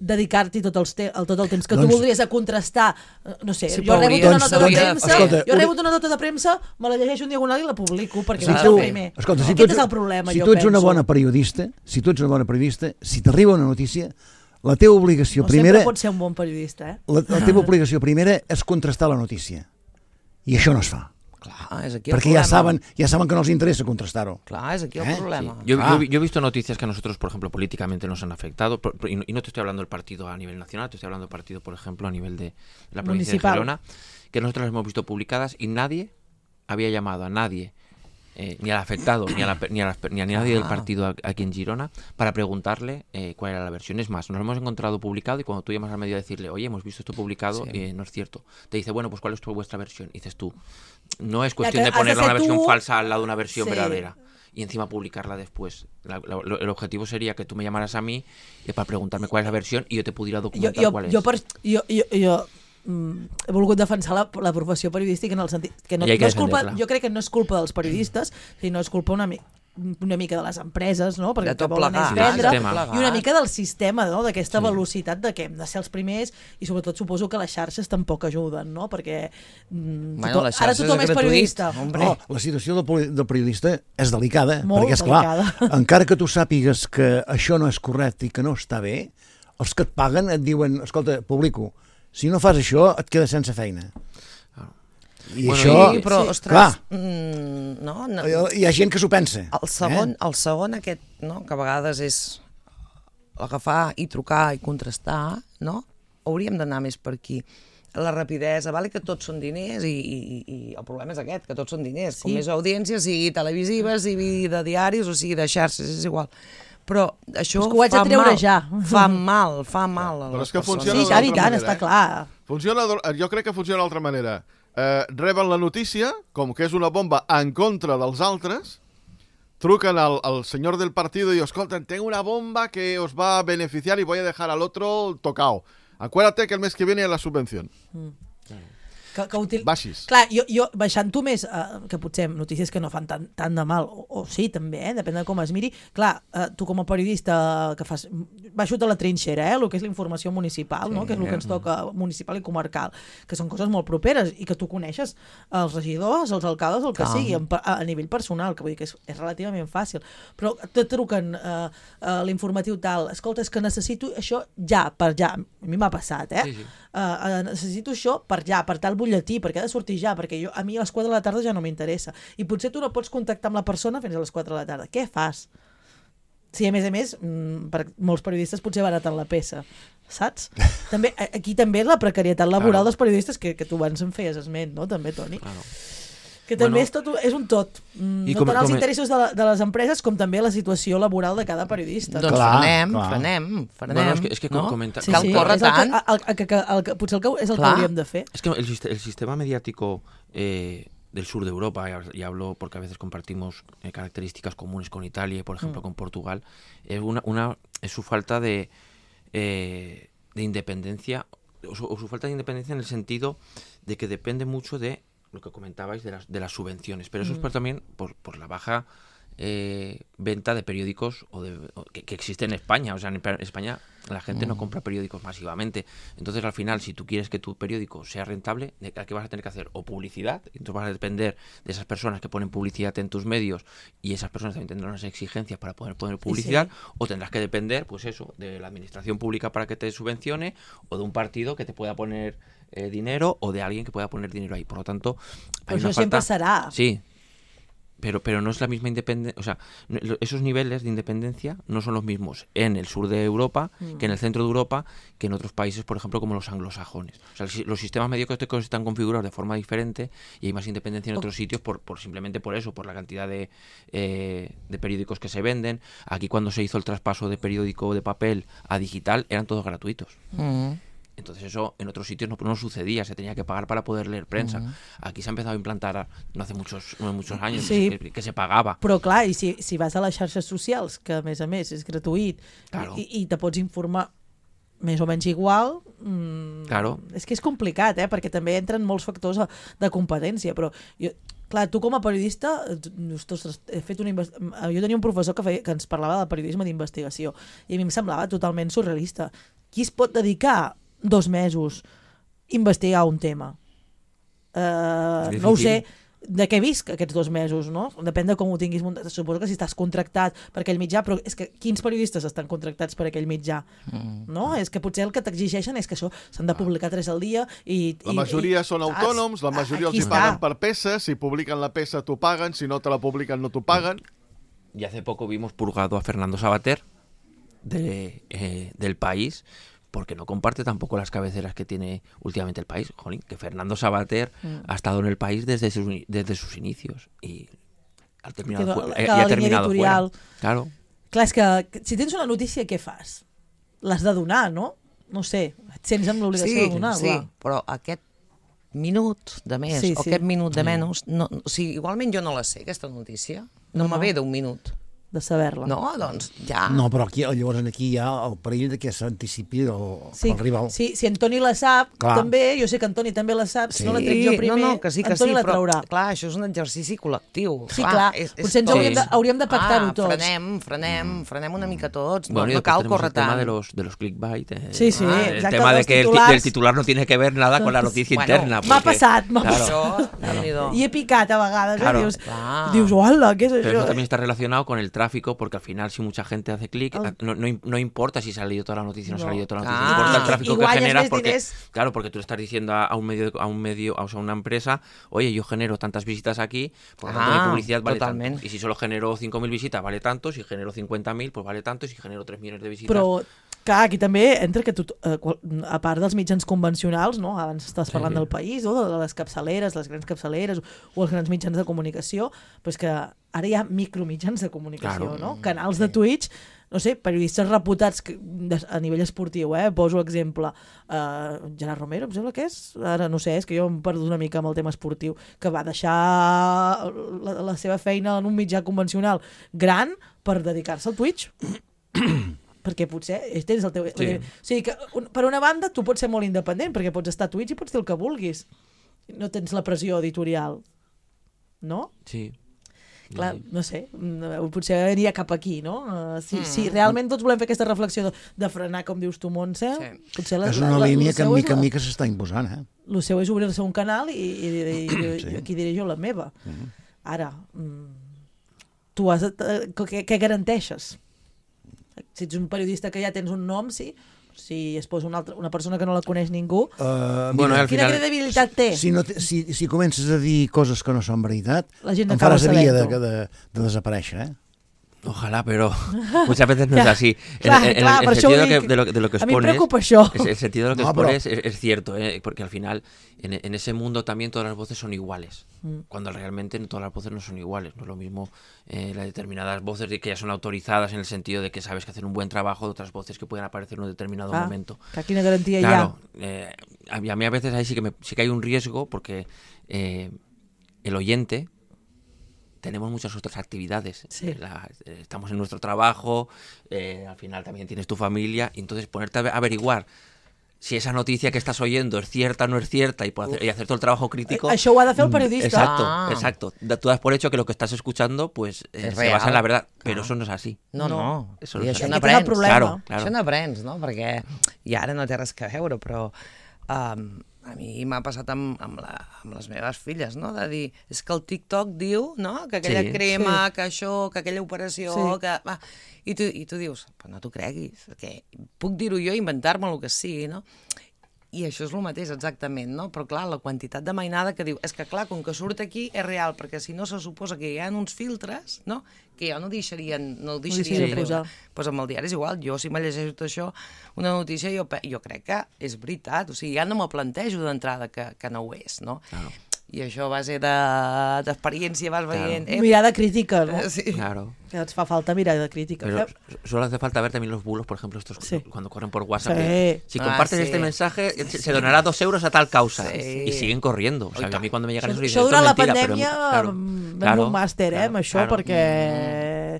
dedicar-t'hi tot, els te tot el temps que Doncs- tu voldries a contrastar, eh, no sé, Sí, jo he però rebut hauria- una nota de hauria- premsa, escolta, jo he un- rebut una nota de premsa, me la llegeixo un diagonal i la publico, perquè Si vaig tu, al primer. escolta, si tu Aquest ets, és el problema, si jo tu ets una penso. bona periodista, si tu ets una bona periodista, si t'arriba una notícia, la teva obligació No primera, sempre pots ser un bon periodista, eh? la, la teva obligació primera és contrastar la notícia. I això no es fa. Clar, és aquí el Perquè problema. ja saben, ja saben que no els interessa contrastar-ho. Clar, es aquí el ¿Eh? problema. Yo, Ah. yo, yo he visto noticias que a nosotros, por ejemplo, políticamente nos han afectado, por- por- y, no, y no te estoy hablando del partido a nivel nacional, te estoy hablando del partido, por ejemplo, a nivel de la provincia Municipal. de Gerona, que nosotros las hemos visto publicadas y nadie había llamado a nadie, eh, ni al afectado, ni a, la pe- ni, a las pe- ni a nadie del Ah. partido a- aquí en Girona, para preguntarle eh, cuál era la versión. Es más, nos lo hemos encontrado publicado y cuando tú llamas al medio a decirle, oye, hemos visto esto publicado, Sí. eh, no es cierto. Te dice, bueno, pues ¿cuál es tu, vuestra versión? Y dices tú, no es cuestión que de has de ponerle ser una versión tú. falsa al lado de una versión Sí. verdadera y encima publicarla después. La- la- lo- el objetivo sería que tú me llamaras a mí eh, para preguntarme cuál es la versión y yo te pudiera Jo, documentar jo, cuál es. jo, per, jo, jo, jo mm, he volgut defensar la, la professió periodística en el sentit que no, I hay que no és culpa, defenderla. jo crec que no és culpa dels periodistes, sinó és culpa una, mi, una mica de les empreses, no? Perquè De tot que volen plegat. és vendre, Sí, del sistema. i una mica del sistema, no? D'aquesta velocitat de que hem de ser els primers i sobretot suposo que les xarxes tampoc ajuden, no? Perquè mm, Bueno, tothom, les ara xarxes tothom és és gratuït, periodista. hombre. No, la situació del, poli- del periodista és delicada, Molt perquè, esclar, delicada. encara que tu sàpigues que això no és correcte i que no està bé, els que et paguen et diuen, escolta, publico, si no fas això et quedes sense feina. I Bueno, això, Sí, però, Sí. ostres, clar, mm, no, no, hi ha gent que s'ho pensa. el segon, Eh? el segon aquest, no, que a vegades és agafar i trucar i contrastar, no? Hauríem d'anar més per aquí. La rapidesa, vale que tots són diners i, i, i el problema és aquest, que tots són diners. Com Sí. més audiència, sigui televisiva, sigui de diaris o sigui de xarxes, és igual. Però això És que ho haig de fa treure mal, ja. fa mal, fa mal a Però les és que persones. funciona Sí, i tant, i d'altra tant, manera, està eh? clar. Funciona, d'al- jo crec que funciona d'altra manera. Eh, reben la notícia, com que és una bomba en contra dels altres, truquen al, al senyor del partido y escolten, tengo una bomba que os va a beneficiar y voy a dejar al otro tocado. Acuérdate que el mes que viene la subvención. Que, que util... Baixis. Clar, jo, jo baixant-ho més, eh, que potser notícies que no fan tant, tant de mal, o, o sí, també, eh, depèn de com es miri. Clar, eh, tu com a periodista que fas... Baixo a la trinxera, eh, el que és la informació municipal, sí, no? Que és el que ens toca municipal i comarcal, que són coses molt properes i que tu coneixes els regidors, els alcaldes, el que Clar. sigui, en, a, a nivell personal, que vull dir que és, és relativament fàcil. Però te truquen eh, a l'informatiu tal, escolta, és que necessito això ja, per ja. A mi m'ha passat, eh? Sí, sí. Uh, uh, necessito això per ja, per tal butlletí, perquè ha de sortir ja, perquè jo, a mi a les quatre de la tarda ja no m'interessa. I potser tu no pots contactar amb la persona fins a les quatre de la tarda. Què fas? Sí, a més a més, mm, per, molts periodistes potser baraten la peça, saps? També, a- aquí també la precarietat laboral Claro. dels periodistes, que, que tu abans en feies esment, no? També, Toni? Claro. Que també Bueno, és, tot, és un tot. Mm, i no com- tant els com- interessos de, la, de les empreses com també la situació laboral de cada periodista. Doncs Clar, frenem, clar. frenem, frenem. Bueno, és que- és que no? comenta- Sí, Cal sí, córrer és el que, tant. el, el, que, el, que, potser el que, és el Clar. que hauríem de fer. Es que el, sist- el sistema mediático eh, del sur de Europa, y hab- y hablo porque a veces compartimos eh, características comunes con Italia y, por ejemplo, Mm. con Portugal, es, una, una, es su falta de, eh, de independencia, o su, o su falta de independencia en el sentido de que depende mucho de lo que comentabais de las, de las subvenciones, pero eso es por, también por, por la baja eh, venta de periódicos o de, o que, que existe en España. O sea, en Pe- España la gente no compra periódicos masivamente. Entonces, al final, si tú quieres que tu periódico sea rentable, ¿de ¿qué vas a tener que hacer? O publicidad, entonces vas a depender de esas personas que ponen publicidad en tus medios y esas personas también tendrán unas exigencias para poder poner publicidad, o tendrás que depender, pues eso, de la administración pública para que te subvencione, o de un partido que te pueda poner eh, dinero, o de alguien que pueda poner dinero ahí. Por lo tanto, hay Però una això sempre falta... serà. Sí, pero, pero no es la misma independencia, o sea, no- lo- esos niveles de independencia no son los mismos en el sur de Europa que en el centro de Europa, que en otros países, por ejemplo, como los anglosajones. O sea, el si- los sistemas mediáticos están configurados de forma diferente y hay más independencia en otros sitios por, por simplemente por eso, por la cantidad de, eh, de periódicos que se venden. Aquí cuando se hizo el traspaso de periódico de papel a digital eran todos gratuitos. Mm. Entonces eso en otros sitios no, no sucedía, se tenía que pagar para poder leer prensa. Aquí se ha empezado a implantar no hace muchos, no muchos años Sí. que, que se pagaba. Però clar, i si, si vas a les xarxes socials, que a més a més és gratuït, Claro. i, i te pots informar més o menys igual, mmm, Claro. és que és complicat, eh? Perquè també entren molts factors de, de competència, però jo, clar, tu com a periodista, tu- ostres, he fet una invest... jo tenia un professor que, feia, que ens parlava de periodisme d'investigació i a mi em semblava totalment surrealista. Qui es pot dedicar dos mesos a investigar un tema? Uh, És no ho difícil. sé, de què visc aquests dos mesos, no? Depèn de com ho tinguis muntat. Suposo que si estàs contractat per aquell mitjà, però és que quins periodistes estan contractats per aquell mitjà? Mm. No? És que potser el que t'exigeixen és que això s'han de publicar tres al dia i... La majoria i, són autònoms, la majoria els hi paguen per peça, si publiquen la peça t'ho paguen, si no te la publiquen no t'ho paguen. Y hace poco vimos purgado a Fernando Savater de, eh, del País, porque no comparte tampoco las cabeceras que tiene últimamente el País. Jolín, que Fernando Savater mm. ha estado en el País desde sus, desde sus inicios y ha terminado, que, fuera, que eh, y ha terminado fuera. Claro. Clar, és que, que si tens una notícia, què fas? L'has de donar, no? No sé, et sents amb l'obligació sí, de donar. Sí, clar. però aquest minut de més sí, o sí. aquest minut de menys, no, o sigui, igualment jo no la sé, aquesta notícia. No, no. me ve d'un minut. De saber-la. No, doncs ja... No, però aquí, llavors aquí hi ha el perill que s'anticipi el, sí, el rival. Sí, si Antoni la sap, clar. També, jo sé que Antoni també la sap, sí. Si no la trec jo primer, no, no, que sí, que Antoni sí, la però, traurà. Clar, això és un exercici col·lectiu. Sí, clar, clar és, és potser ens hauríem de, hauríem de pactar-ho ah, tots. Frenem, frenem, frenem una mica tots, bueno, no, no cal córrer tant. El tema de los, de los clickbait. Eh, sí, sí, ah, exacte. El tema de que titulars... el, el titular no tiene que ver nada con la noticia bueno, interna. M'ha passat, m'ha claro, passat. Claro. I he picat a vegades, claro. eh? Dius, dius, hola, què és això? Pero eso también está relacionado con el tráfico, porque al final si mucha gente hace clic, oh. no, no, no importa si se ha leído toda la noticia o no, no se ha leído toda la noticia, ah, no importa el tráfico que generas, porque tienes... claro, porque tú le estás diciendo a, a un medio, a un medio, o sea, a una empresa, oye, yo genero tantas visitas aquí, por lo tanto ah, mi publicidad vale totalmente. Tanto. Y si solo genero cinco mil visitas vale tanto, si genero cincuenta mil pues vale tanto, y si genero tres millones de visitas... Però, clar, aquí també entra que tu, eh, a part dels mitjans convencionals, no? Abans estàs parlant sí, sí. del País, o de les capçaleres, les grans capçaleres, o els grans mitjans de comunicació, però és que ara hi ha micromitjans de comunicació, claro. No? Canals de Twitch, no sé, periodistes reputats que, a nivell esportiu, eh? Poso exemple, uh, Gerard Romero, em sembla que és, ara no sé, és que jo em perdo una mica amb el tema esportiu, que va deixar la, la seva feina en un mitjà convencional gran per dedicar-se al Twitch. Perquè potser tens el teu... Sí. O sigui que, un, per una banda, tu pots ser molt independent, perquè pots estar a Twitch i pots dir el que vulguis. No tens la pressió editorial. No? Sí. Clar, no sé, potser aniria cap aquí, no? Uh, si, mm. si realment tots volem fer aquesta reflexió de, de frenar, com dius tu, Montse, sí. potser la, és una la, línia la, que mica en mica s'està imposant, eh? El seu és obrir-se un canal i, i, i, i sí. aquí diré jo la meva. Mm. Ara, tu has, què, què garanteixes? Si ets un periodista que ja tens un nom, sí, si es posa una, altra, una persona que no la coneix ningú, uh, bueno, al quina final, credibilitat té? Si, no te, si, si comences a dir coses que no són veritat, la gent em faràs via de, de, de desaparèixer, eh? Ojalá, pero muchas veces no es así. Clar, en, en, clar, en el sentido de lo, que, de, lo, de lo que expones, a mi em preocupa això. Es, el sentido de lo que no, expones pero... es, es cierto, ¿eh? Porque al final en, en ese mundo también todas las voces son iguales, mm. cuando realmente todas las voces no son iguales. No es lo mismo eh, las determinadas voces de que ya son autorizadas en el sentido de que sabes que hacen un buen trabajo, de otras voces que pueden aparecer en un determinado ah, momento. Que aquí no garantía claro, ya. Eh, a, mí, a mí a veces ahí sí que, me, sí que hay un riesgo porque eh, el oyente... Tenemos muchas otras actividades. Sí. La, estamos en nuestro trabajo, eh, al final también tienes tu familia, y entonces ponerte a averiguar si esa noticia que estás oyendo es cierta o no es cierta y, hacer, y hacer todo el trabajo crítico. Això ho ha de fer el periodista. Exacto, ah. exacto. Tú das por hecho que lo que estás escuchando pues eh, se basa en la verdad, però ah. eso no és així. No, no. Eso I no això és n'aprens. Claro, claro. Això n'aprens, no? Perquè i ara no té res que veure, però um, a mi m'ha passat amb, amb, la, amb les meves filles, no? De dir, és que el TikTok diu, no? Que aquella sí. crema, sí. que això, que aquella operació, sí. que... Va. I, tu, I tu dius, però no t'ho creguis, que puc dir-ho jo, inventar-me el que sigui, no? I això és el mateix, exactament, no? Però clar, la quantitat de mainada que diu, és que clar, com que surt aquí és real, perquè si no se suposa que hi ha uns filtres, no? Que jo no deixarien, no el deixarien sí, posar. Pues amb el diari és igual, jo si me llegeixo tot això, una notícia, jo, jo crec que és veritat, o sigui, ja no me plantejo d'entrada que, que no ho és, no? Claro. I això a base d'experiència vas veient... Claro. Eh? Mirada crítica, ¿no? Sí. Claro. Que ens fa falta mirada crítica. Pero solo hace falta ver también los bulos, por ejemplo, estos sí. cuando corren por WhatsApp. Sí. Si compartes ah, sí. este mensaje, sí. se donará dos euros a tal causa. Sí. Y siguen corriendo. O sea, a mí cuando me llegan eso, esos dicen, això durant la mentira, pandèmia però, vam claro, un màster, eh, claro, amb això, claro. perquè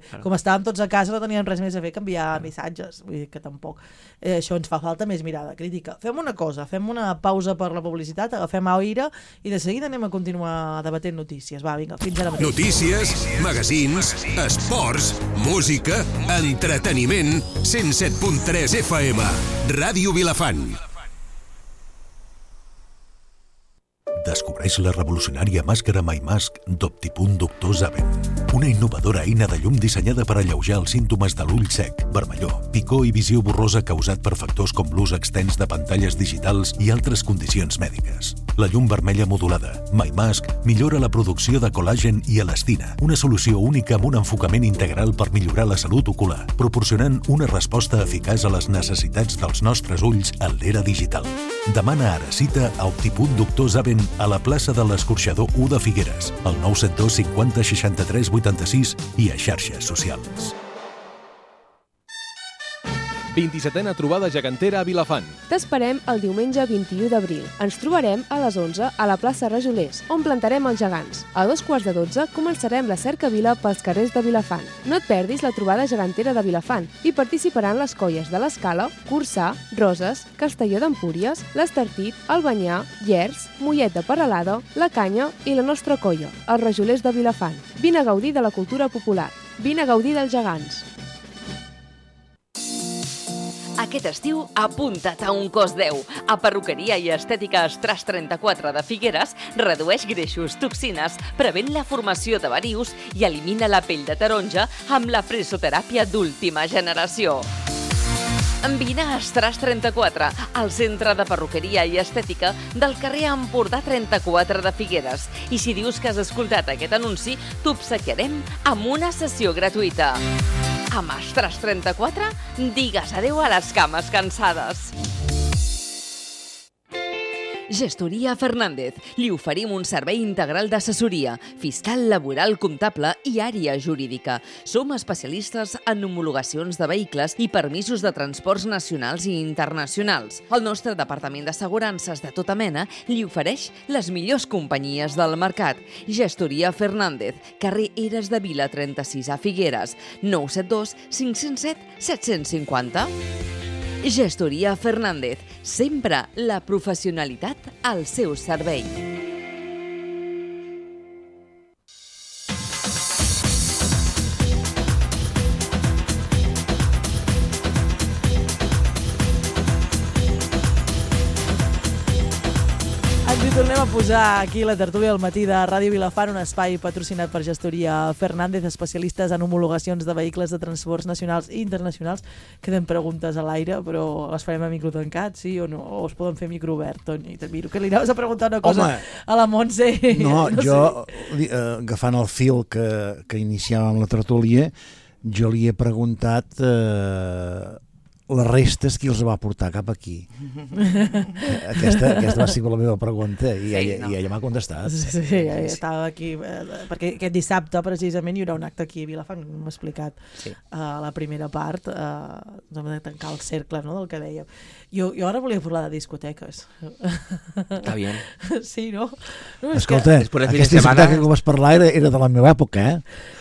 claro. com estàvem tots a casa no teníem res més a fer que enviar claro. missatges. Vull dir que tampoc. Eh, això ens fa falta més mirada crítica. Fem una cosa, fem una pausa per la publicitat, agafem aire i de seguida anem a continuar debatent notícies. Va, vinga, fins ara mateix. Notícies, magazins, esports, música, entreteniment, cent set punt tres F M, Ràdio Vilafant. Descobreix la revolucionària màscara MyMask d'Optipunt Doctor Zaven. Una innovadora eina de llum dissenyada per alleujar els símptomes de l'ull sec, vermellor, picor i visió borrosa causat per factors com l'ús extens de pantalles digitals i altres condicions mèdiques. La llum vermella modulada, MyMask, millora la producció de col·làgen i elastina, una solució única amb un enfocament integral per millorar la salut ocular, proporcionant una resposta eficaç a les necessitats dels nostres ulls en l'era digital. Demana ara cita a Optipunt Doctor Zaven a la plaça de l'Escorxador u de Figueres, al nou set dos cinquanta seixanta-tres vuitanta-sis i a xarxes socials. vint-i-setena trobada gegantera a Vilafant. T'esperem el diumenge vint-i-u d'abril. Ens trobarem a les onze a la plaça Rajolers, on plantarem els gegants. A dos quarts de dotze començarem la cercavila pels carrers de Vilafant. No et perdis la trobada gegantera de Vilafant. Hi participaran les colles de l'Escala, Corçà, Roses, Castelló d'Empúries, l'Estartit, Albanyà, Llers, Mollet de Peralada, La Canya i la nostra colla, els Rajolers de Vilafant. Vine a gaudir de la cultura popular. Vine a gaudir dels gegants. Aquest estiu, apunta't a un cos deu. A Perruqueria i Estètica Estras trenta-quatre de Figueres redueix greixos, toxines, prevent la formació de varius i elimina la pell de taronja amb la fresoteràpia d'última generació. Vine a Estras trenta-quatre, al centre de perruqueria i estètica del carrer Empordà trenta-quatre de Figueres. I si dius que has escoltat aquest anunci, t'obsequiarem amb una sessió gratuïta. Amb Estras trenta-quatre, digues adeu a les cames cansades. Gestoria Fernández. Li oferim un servei integral d'assessoria, fiscal, laboral, comptable i àrea jurídica. Som especialistes en homologacions de vehicles i permisos de transports nacionals i internacionals. El nostre departament d'assegurances de tota mena li ofereix les millors companyies del mercat. Gestoria Fernández, carrer Eres de Vila trenta-sis a Figueres, nou set dos cinc zero set set cinquanta. Gestoria Fernández, sempre la professionalitat al seu servei. Ens hi tornem a posar aquí la tertúlia al matí de Ràdio Vilafant, un espai patrocinat per Gestoria Fernández, especialistes en homologacions de vehicles de transports nacionals i internacionals. Queden preguntes a l'aire, però les farem a micro tancat, sí o no? O es poden fer micro obert, Toni? Te miro que li anaves a preguntar una cosa Home, a la Montse. No, no jo, sé. eh, agafant el fil que, que iniciàvem la tertúlia, jo li he preguntat... Eh, les restes qui els va portar cap aquí. Aquesta, aquesta va ser la meva pregunta i, sí, ella, no. i ella m'ha contestat. Sí, sí, sí, ja estava aquí, eh, perquè aquest dissabte precisament hi haurà un acte aquí a Vilafant, m'ha explicat sí. uh, la primera part, uh, hem de tancar el cercle, no?, del que dèiem. Jo, jo ara volia parlar de discoteques. Està bien. Sí, no? no Escolta, que... aquesta discoteca que vas parlar era, era de la meva època, eh?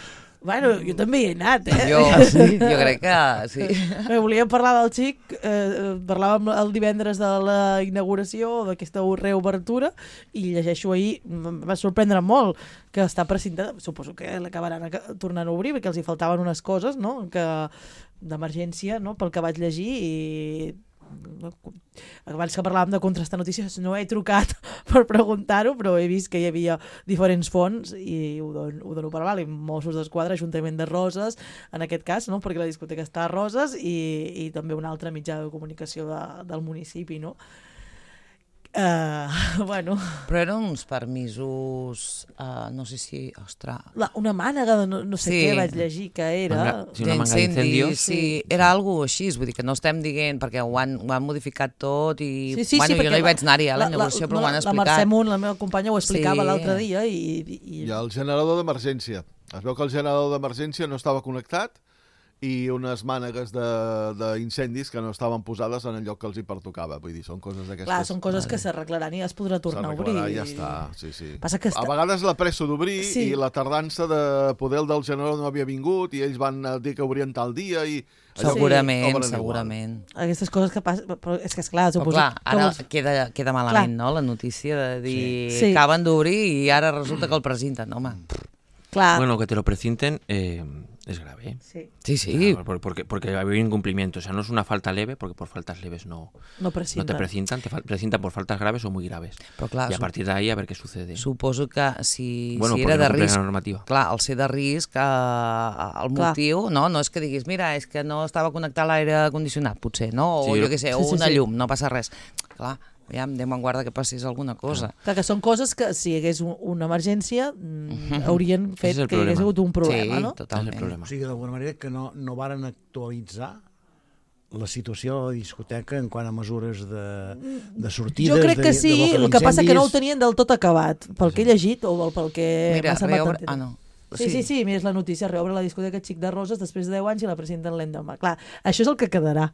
Bueno, jo també hi he anat, eh? Jo, sí? jo crec que sí. Eh, volia parlar del xic, eh, parlàvem el divendres de la inauguració d'aquesta reobertura i llegeixo ahir, em va sorprendre molt que està precintada, suposo que l'acabaran tornant a obrir perquè els hi faltaven unes coses, no?, que d'emergència, no?, pel que vaig llegir i... abans que parlàvem de contrastar notícies no he trucat per preguntar-ho, però he vist que hi havia diferents fonts i ho dono, ho dono per val, i Mossos d'Esquadra, Ajuntament de Roses en aquest cas, no? Perquè la discoteca està a Roses i, i també un altre mitjà de comunicació de, del municipi, no? Uh, bueno. Però eren uns permisos, uh, no sé si, ostres... La, una mànega de no, no sé sí. què vaig llegir que era... Manga, sí, una manga d'incendios. Sí, sí, era algo així, vull dir que no estem dient, perquè ho han, ho han modificat tot i... Sí, sí, bueno, sí, jo no hi vaig anar-hi a la inauguració, però ho han explicat. La Mercè Munt, la meva companya, ho explicava sí. l'altre dia i, i... I el generador d'emergència. Es veu que el generador d'emergència no estava connectat i unes mànegues d'incendis que no estaven posades en el lloc que els hi pertocava. Vull dir, són coses d'aquestes... Clar, són coses que s'arreglaran i es podrà tornar a obrir. I ja està, sí, sí. Passa que està... A vegades la pressa d'obrir sí. i la tardança de poder el del generador no havia vingut i ells van dir que obrien tal dia i... Segurament, sí. segurament. Aquestes coses que passen... Però és que, esclar, suposo... Però clar, ara vols... queda, queda malament, clar. No?, la notícia de dir sí. Sí. acaben d'obrir i ara resulta que el presenten, home. Clar. Bueno, que te lo precinten, eh, Es grave. Sí, sí. sí. O sea, porque, porque había incumplimiento. O sea, no es una falta leve, porque por faltas leves no, no, no te precintan, te precintan por faltas graves o muy graves. Però clar, y a partir de ahí a ver qué sucede. Suposo que si, bueno, si era no de risc... La normativa. Clar, al ser de risc, eh, el motiu, no, no és que diguis, mira, és que no estava connectat l'aire condicionat, potser, no? O sí, jo què sé, sí, o sí, una sí. llum, no passa res. Clar, ja em en guarda que passés alguna cosa. Clar, que són coses que si hi hagués un, una emergència mm, haurien fet que hi hagués hagut un problema, sí, no? Totalment. O sigui, d'alguna manera que no, no varen actualitzar la situació de la discoteca en quant a mesures de, de sortides... Jo crec que de, sí, de el que passa que no ho tenien del tot acabat, pel que he llegit o pel que Mira, m'ha semblat reobre... entendre. Ah, no. Sí, sí, sí, mira, és la notícia, reobre la discoteca Xic de Roses després de deu anys i la presenten l'endemà. Clar, això és el que quedarà.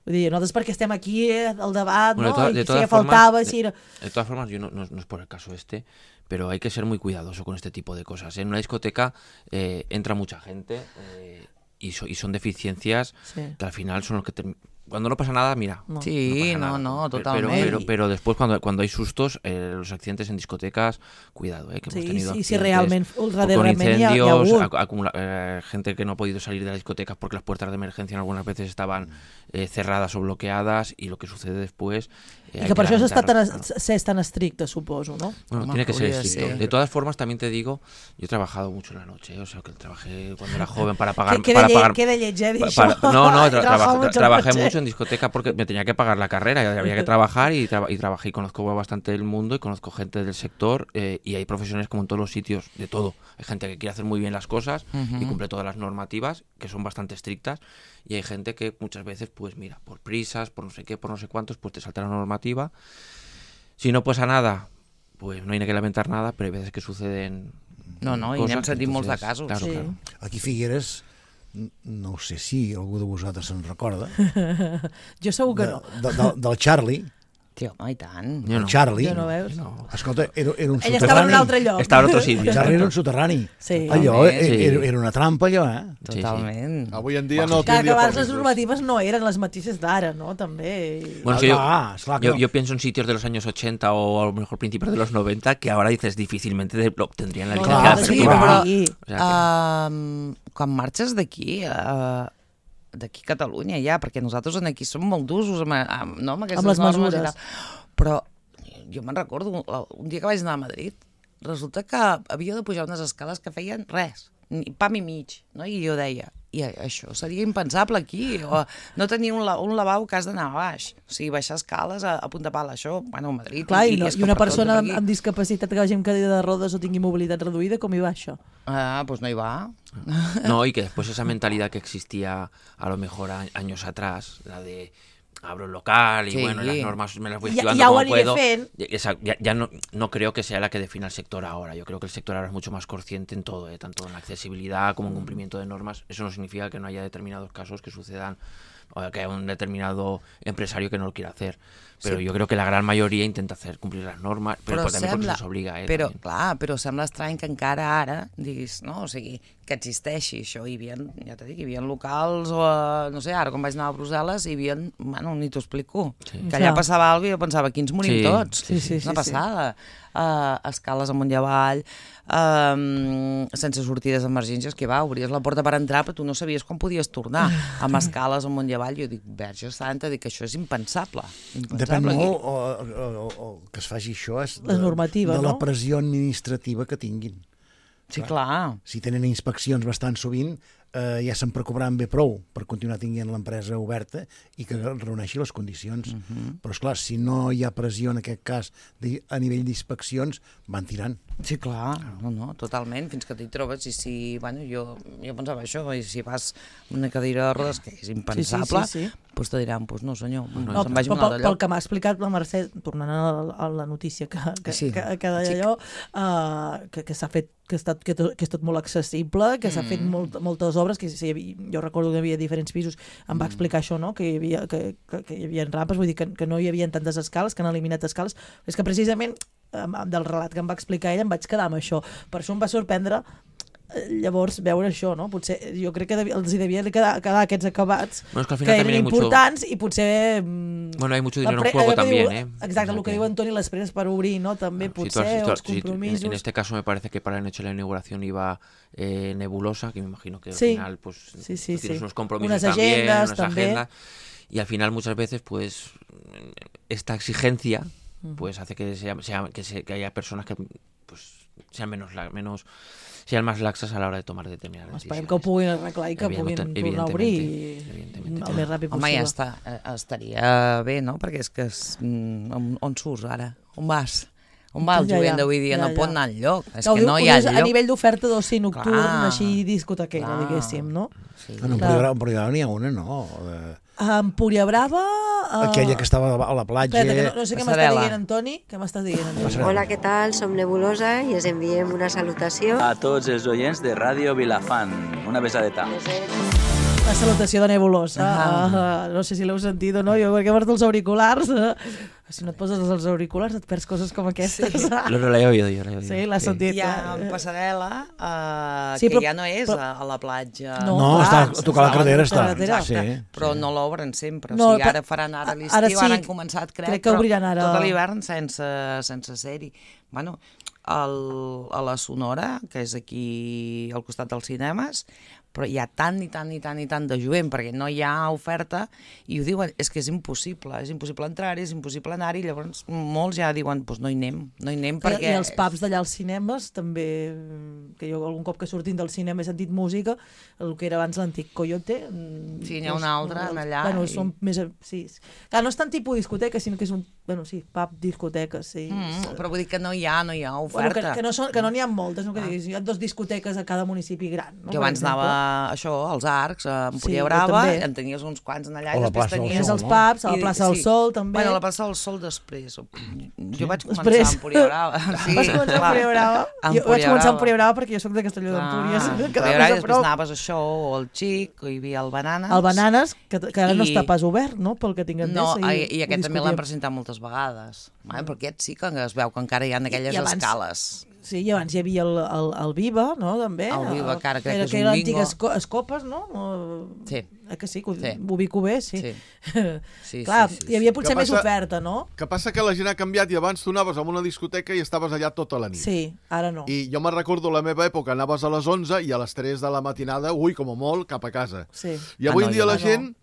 Vull dir, nosaltres perquè estem aquí eh, al debat, bueno, ¿no? De, to y de si todas faltaba, formas, si era... de, de todas formas, yo no, no, no es por el caso este, pero hay que ser muy cuidadoso con este tipo de cosas. En una discoteca eh, entra mucha gente eh, y, so, y son deficiencias sí. que al final son los que... Term... Cuando no pasa nada, mira. No. Sí, no, no, no, totalmente. Pero, pero, pero después, cuando, cuando hay sustos, eh, los accidentes en discotecas, cuidado, eh, que sí, hemos tenido sí, accidentes si realmente, con incendios, acumula, eh, gente que no ha podido salir de las discotecas porque las puertas de emergencia algunas veces estaban eh, cerradas o bloqueadas y lo que sucede después... Eh, y que por eso está tan, claro. es tan estricto, supongo, ¿no? Bueno, tiene que ser estricto. De todas formas, también te digo, yo he trabajado mucho en la noche, ¿eh? O sea, que trabajé cuando era joven para pagar... ¿Qué, para de, pagar ¿qué de lleche, para, para, No, no, tra traba mucho trabajé noche. mucho en discoteca porque me tenía que pagar la carrera, y había que trabajar y, tra y trabajé y conozco bastante del mundo y conozco gente del sector eh, y hay profesionales como en todos los sitios, de todo. Hay gente que quiere hacer muy bien las cosas uh-huh. y cumple todas las normativas, que son bastante estrictas, y hay gente que muchas veces, pues mira, por prisas, por no sé qué, por no sé cuántos, pues te salta la normativa. Si no pasa nada, pues no hay que lamentar nada, pero hay veces que suceden No, no, cosas, i n'hem sentit molts de casos. Claro, sí. claro. Aquí Figueres, no sé si algú de vosaltres se'n recorda, jo segur que de, no. de, de, del Charlie. Tio, home, i tant. Jo no. Charlie. Jo no veus? No. Escolta, era, era un Ell soterrani. estava en un altre lloc. Estava en otro sitio. El Charlie era un soterrani. Sí. Allò Sí. era, era una trampa, allò, eh? Totalment. Sí. Avui en dia no Clar, que tindria abans les permisos. normatives no eren les mateixes d'ara, no? També. Bueno, es que yo, Ah, esclar que yo, no. yo pienso en sitios de los años ochenta o a lo mejor principios de los noventa que ahora dices difícilmente de, lo obtendrían la No, licencia no, Sí, sí, deportiva. però Sí. O sea que- um, quan marxes d'aquí, uh, d'aquí a Catalunya ja, perquè nosaltres aquí som molt d'usos amb, amb, no, amb aquestes Amb les normes mesures. i tal. Però jo me'n recordo, un, un dia que vaig anar a Madrid, resulta que havia de pujar unes escales que feien res, ni pam i mig, no? I jo deia, i això seria impensable aquí, o no tenir un, la, un lavabo que has d'anar a baix, o sigui, baixar escales a, a punta pala, això, bueno, a Madrid... Clar, i, no, és i que una per tot persona per amb, aquí. amb discapacitat que vagi amb cadira de rodes o tingui mobilitat reduïda, com hi va això? Ah, doncs no hi va. No, y que después esa mentalidad que existía a lo mejor a, años atrás, la de abro el local y Sí. bueno, las normas me las voy Ya- esquivando ya ho como aniré puedo. fent. Ya, esa- ya- ya no, no creo que sea la que defina el sector ahora. Yo creo que el sector ahora es mucho más consciente en todo, ¿eh? Tanto en la accesibilidad como en cumplimiento de normas. Eso no significa que no haya determinados casos que sucedan o que haya un determinado empresario que no lo quiera hacer. Pero Sí. yo creo que la gran mayoría intenta hacer cumplir las normas, però, però també perquè se'ls obliga. Eh, però, també. clar, però sembla estrany que encara ara diguis, no? O sigui, que existeixi això. Hi havia, ja t'he dit, hi havia locals, o, eh, no sé, ara quan vaig anar a Brussel·les, hi havia, bueno, ni t'ho explico, Sí. que allà Clar. passava alguna cosa i jo pensava, aquí ens morim Sí, tots. sí, sí, És una sí, sí. passada. Uh, escales amunt i avall, uh, sense sortides d'emergències, que va, obries la porta per entrar, però tu no sabies quan podies tornar, amb escales amunt i avall. Jo dic, verge santa, dic que això és impensable. impensable Depèn aquí. molt, o, o, o, o que es faci això és de, La normativa, de no? la pressió administrativa que tinguin. Sí, clar. Si tenen inspeccions bastant sovint, eh, ja se'n preocuparan bé prou per continuar tinguent l'empresa oberta i que reuneixi les condicions. Uh -huh. Però, esclar, si no hi ha pressió en aquest cas de, a nivell d'inspeccions, van tirant. Sí, clar, no, no, totalment, fins que t'hi trobes i si, bueno, jo, jo pensava això, i si vas amb una cadira de rodes, que és impensable, Sí, sí, sí, sí. doncs te diran, doncs no senyor, no, No, se'n vagi a un pel, altre pel lloc. que m'ha explicat la Mercè, tornant a la, a la notícia que, que, Sí. que, que deia allò, uh, que, que s'ha fet que, ha estat, que, to, que és tot molt accessible, que s'ha Mm. fet molt, moltes obres, que si hi havia, jo recordo que hi havia diferents pisos, em va explicar això, no? que, hi havia, que, que, que hi havia rampes, vull dir que, que no hi havia tantes escales, que han eliminat escales. És que precisament amb- amb del relat que em va explicar ell em vaig quedar amb això. Per això em va sorprendre llavors veure això, no? Potser jo crec que els hi devia quedar, quedar aquests acabats bueno, es que, al que final eren mucho... importants i potser... Mm, bueno, hay mucho dinero pre... en juego también, diu, ¿eh? Exacte, o sea el que, que diu Antoni, les preses per obrir, no? També claro, potser, si tú, els si, compromisos... en, en este caso me parece que para la noche de la inauguración iba eh, Nebulosa, que me imagino que al sí. final pues sí, sí, tienes sí. unos compromisos unas también, agendas, unas también. agendas, y al final muchas veces pues esta exigencia pues hace que sea, sea que, se, que haya personas que pues sean menos menos sean más laxes a l'hora de tomar determinades decisions. Esperem que ho puguin arreglar i que puguin tornar a obrir i el més ràpid possible. Home, ja està, estaria bé, no? Perquè és que és, on, on surts ara? On vas? On va el ja, jovent ja, d'avui dia? ja, No ja. pot anar enlloc. És no, que no hi ha lloc. A nivell d'oferta d'oci nocturn, clar, així discotequera, clar. diguéssim, no? Sí. En Empuriabrava Empuriabrava n'hi ha una, no? De... A Empúria Brava... Uh... Aquella que estava a la platja... Espera, que no, no sé què m'estàs dient, Antoni. Què m'estàs dient, Antoni? Hola, què tal? Som Nebulosa i us enviem una salutació a tots els oients de Ràdio Vilafant. Una besadeta. La salutació de Nebulosa. Ah. Uh, no sé si l'heu sentit o no, jo perquè porto els auriculars. Uh, si no et poses els auriculars et perds coses com aquestes. Sí. Lo, lo he oído jo. Lo he oído. Sí, l'has sentit. Hi ha passarel·la uh, sí, que però, ja no és però, a, a la platja. No, no clar, està a tocar la carretera. Està. Sí, però sí. no l'obren sempre. No, o sigui, ara faran ara l'estiu, ara, sí, ara han començat, crec, crec que obriran ara... tot l'hivern sense, sense ser-hi. Bueno, el, a la Sonora, que és aquí al costat dels cinemes, però hi ha tant i tant i tant i tant de jovent perquè no hi ha oferta i ho diuen, és que és impossible, és impossible entrar-hi, és impossible anar-hi, llavors molts ja diuen, doncs no hi anem, no hi anem perquè... I els pubs d'allà als cinemes també, que jo algun cop que sortint del cinema he sentit música, el que era abans l'antic Coyote... Sí, n'hi ha un altre en allà. Bueno, i... són més... Sí. Clar, no és tant tipus discoteca, sinó que és un... Bueno, sí, pub, discoteca, sí. Mm, però vull dir que no hi ha, no hi ha oferta. Bueno, que, que, no són, que no n'hi ha moltes, no? Que ah. diguis, hi ha dos discoteques a cada municipi gran. No? Jo abans anava això, als Arcs, a Empúria sí, Brava, en tenies uns quants en allà, o i després tenies... els pubs, a la plaça del sí. Sol, també. Bueno, a la plaça del Sol després. Jo sí. vaig començar després... a Empúria Brava. Sí, Vas començar a Empúria Brava? Jo vaig començar a Empúria Brava perquè jo soc de Castelló d'Empúries. Ah, Empúria Brava, i després anaves a això, o al Xic, o hi havia el Bananes. El Bananes, que, que ara i... no està pas obert, no?, pel que tinc entès. No, i, i, i aquest també l'han presentat moltes vegades. Mm. Però aquest sí que es veu que encara hi ha aquelles I, i abans... escales. Sí, i abans hi havia el, el, el Viva, no?, també. El Viva, que ara crec era, que és que un era bingo. l'antic Escopes, no? Sí. Eh que sí, que sí. ho ubico bé, sí. Sí. sí Clar, sí, sí, sí. hi havia potser que més passa, oferta, no? Que passa que la gent ha canviat i abans tu anaves a una discoteca i estaves allà tota la nit. Sí, ara no. I jo me'n recordo la meva època, anaves a les onze i a les tres de la matinada, ui, com a molt, cap a casa. Sí. I avui ah, no, en dia la no. gent...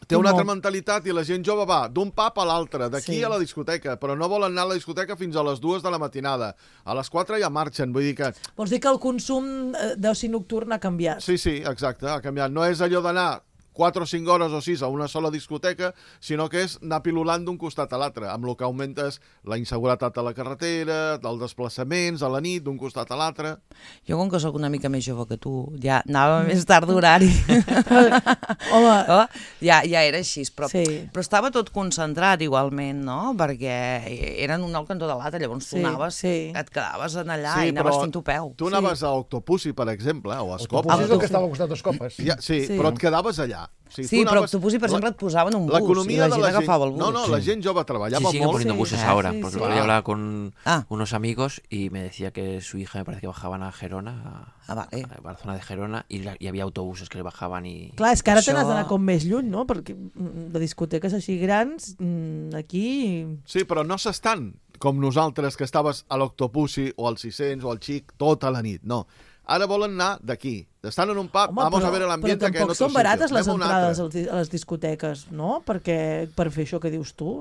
Té una altra mentalitat i la gent jove va d'un pub a l'altre, d'aquí sí. a la discoteca, però no volen anar a la discoteca fins a les dues de la matinada. A les quatre ja marxen, vull dir que... Vols dir que el consum d'oci nocturn ha canviat? Sí, sí, exacte, ha canviat. No és allò d'anar quatre o cinc hores o sis a una sola discoteca, sinó que és anar pilulant d'un costat a l'altre, amb el que augmentes la inseguretat a la carretera, els desplaçaments a la nit, d'un costat a l'altre... Jo, com que sóc una mica més jove que tu, ja anava més tard d'horari. Home... Oh, ja, ja era així, però, sí. però estava tot concentrat igualment, no? Perquè eren un al cantó de l'altre, llavors tu sí, anaves, sí. et quedaves en allà sí, i anaves fent-ho peu. Tu anaves sí. a Octopussy, per exemple, o a Escopes. Octopussy és el que estava al costat d'Escopes. Ja, sí, sí, però et quedaves allà. O sigui, sí, però anaves... Octopussy, per exemple, et posaven un bus i la gent agafava el bus. No, no, la gent jove trabajaba sí, siguen molt. poniendo buses sí, ahora, sí, porque sí. yo hablaba con ah. unos amigos y me decía que su hija me parece que bajaban a Gerona, a, ah, vale. a la zona de Gerona, y, la, y había autobuses que le bajaban y... Clar, és que ara Això... te n'has d'anar com més lluny, no? Perquè de discoteques així grans, aquí... Sí, però no s'estan com nosaltres, que estaves a l'Octopussy o al sis-cents o al Xic tota la nit, no. Ara volen anar d'aquí. Estan en un pub, Home, vamos però, a ver el ambiente que en però otros tampoc són barates sitios. les entrades a les discoteques, no? Perquè per fer això que dius tu,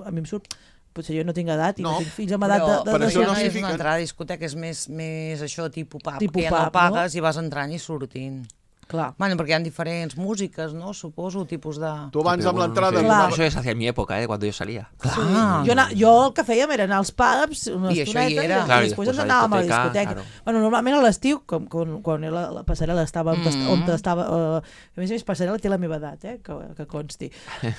a mi em surt... Potser jo no tinc edat i no, no tinc fills amb edat de... de, però de això de no és una entrada a discoteca, és més, més això, tipus pub, tipus que ja pub, no pagues no? i vas entrant i sortint. Clar. Bueno, perquè hi ha diferents músiques, no? Suposo, tipus de... Tu abans amb l'entrada... No sé, eso es hacia mi época, ¿eh? Cuando yo salía. Sí. Jo, ana, jo el que fèiem era anar als pubs una I estoneta això hi era. i, Clar, i després ens anàvem a la discoteca. Claro. Bueno, normalment a l'estiu, quan, quan, quan la, la passarel·la estava on, mm -hmm. on estava... Uh, a més a més, passarel·la té la meva edat, eh? que, que consti.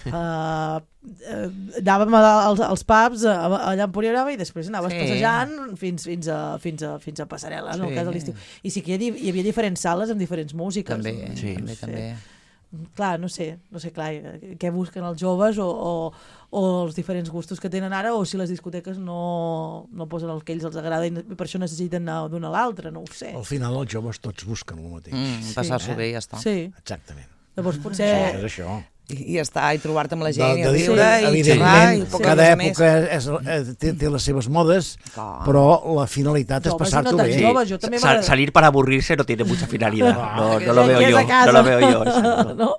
Uh, uh, anàvem als, als pubs uh, allà a Empúria Brava i després anaves sí. passejant fins, fins, a, fins, a, fins a passarel·la, sí. no? El cas de l'estiu. I sí que hi havia, hi havia diferents sales amb diferents músiques. També, no? sí. també, sí. també. clar, no sé, no sé, clar, què busquen els joves o, o, o els diferents gustos que tenen ara, o si les discoteques no, no posen el que ells els agrada i per això necessiten anar d'una a l'altra, no ho sé. Al final els joves tots busquen el mateix. Mm, passar-s'ho Sí. bé i ja està. Sí. Exactament. Llavors potser... Sí, és això. I, i està, i trobar-te amb la gent, De- i de- riure, i evidentment, xerrar, i poca cada cosa més. època és, és, té, té les seves modes, Clar. però la finalitat és Joves i passar-t'ho no tan bé. joves, jo també Sa- m'agrada- salir para aburrirse no tiene mucha finalidad. No, Que no lo sé veo que és yo. a casa. No lo veo yo. exacto. No?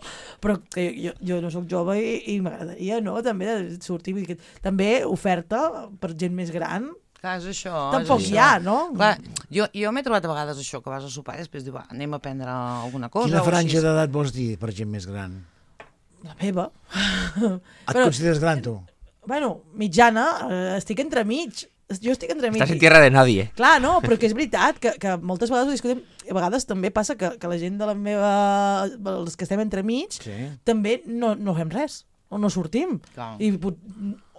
Però que jo, jo no sóc jove i, i m'agradaria, no?, també de sortir. Vull dir que també oferta per gent més gran. Clar, és això. Tampoc és hi això. ha, no? Clar, jo, jo m'he trobat a vegades això, que vas a sopar i després diu, va, anem a prendre alguna cosa. Quina o franja així. d'edat vols dir per gent més gran? La meva. Et consideres gran, tu? Bueno, mitjana, eh, estic entremig. Jo estic entremig. Estás en tierra de nadie. Clar, no, però que és veritat que, que moltes vegades ho discutim, a vegades també passa que, que la gent de la meva... els que estem entremig, Sí. també no, no fem res, o no sortim. Clar. I pot-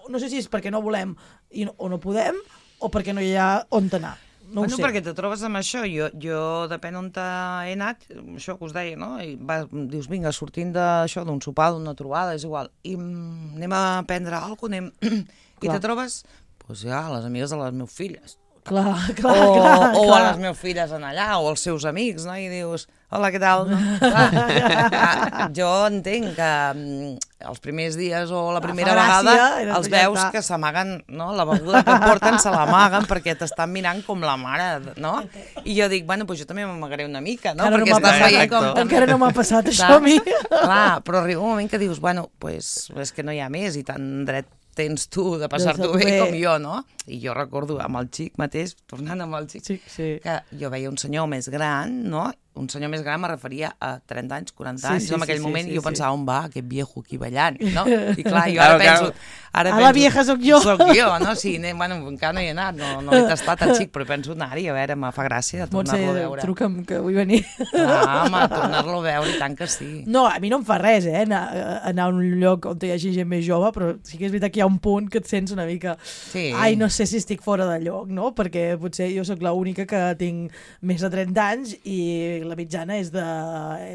no sé si és perquè no volem i no, o no podem, o perquè no hi ha on anar. No bueno, ho sé. perquè te trobes amb això, jo, jo depèn on he anat, això que us deia, no? I va, dius, vinga, sortint d'això, d'un sopar, d'una trobada, és igual, i mm, anem a prendre alguna cosa, anem... i Clar. te trobes, doncs ja, les amigues de les meves filles. Clar, clar, o, clar, o clar. a les meves filles en allà, o els seus amics, no? I dius, hola, què tal? No? Clar, jo entenc que mm, els primers dies o la primera fa gràcia, vegada i els després ja veus està. que s'amaguen, no? La beguda que porten se l'amaguen perquè t'estan mirant com la mare, no? I jo dic, bueno, doncs jo també m'amagaré una mica, no? Encara no perquè m'ha estàs passat. veient com... Encara no m'ha passat això Clar, a mi. Clar, però arriba un moment que dius, bueno, pues, és que no hi ha més i tan dret tens tu de passar-t'ho De bé, bé. com jo, no? I jo recordo amb el xic mateix, tornant amb el xic, Sí, sí. que jo veia un senyor més gran, no? Un senyor més gran me referia a trenta anys, quaranta Sí, anys, sí, en sí, aquell sí, moment sí, jo sí. pensava, on va aquest viejo aquí ballant, no? I clar, jo ara Claro, penso... claro. Ara A penso, la vieja sóc jo. Soc jo, no? Sí, anem, bueno, encara no hi he anat, no, no l'he tastat el xic, però penso anar-hi, a veure, me fa gràcia Montse, tornar-lo a veure. truca'm que vull venir. Ah, home, tornar-lo a veure, i tant que sí. No, a mi no em fa res, eh, anar, anar a un lloc on hi hagi gent més jove, però sí que és veritat que hi ha un punt que et sents una mica... Sí. Ai, no sé si estic fora de lloc, no? Perquè potser jo sóc l'única que tinc més de trenta anys i la mitjana és de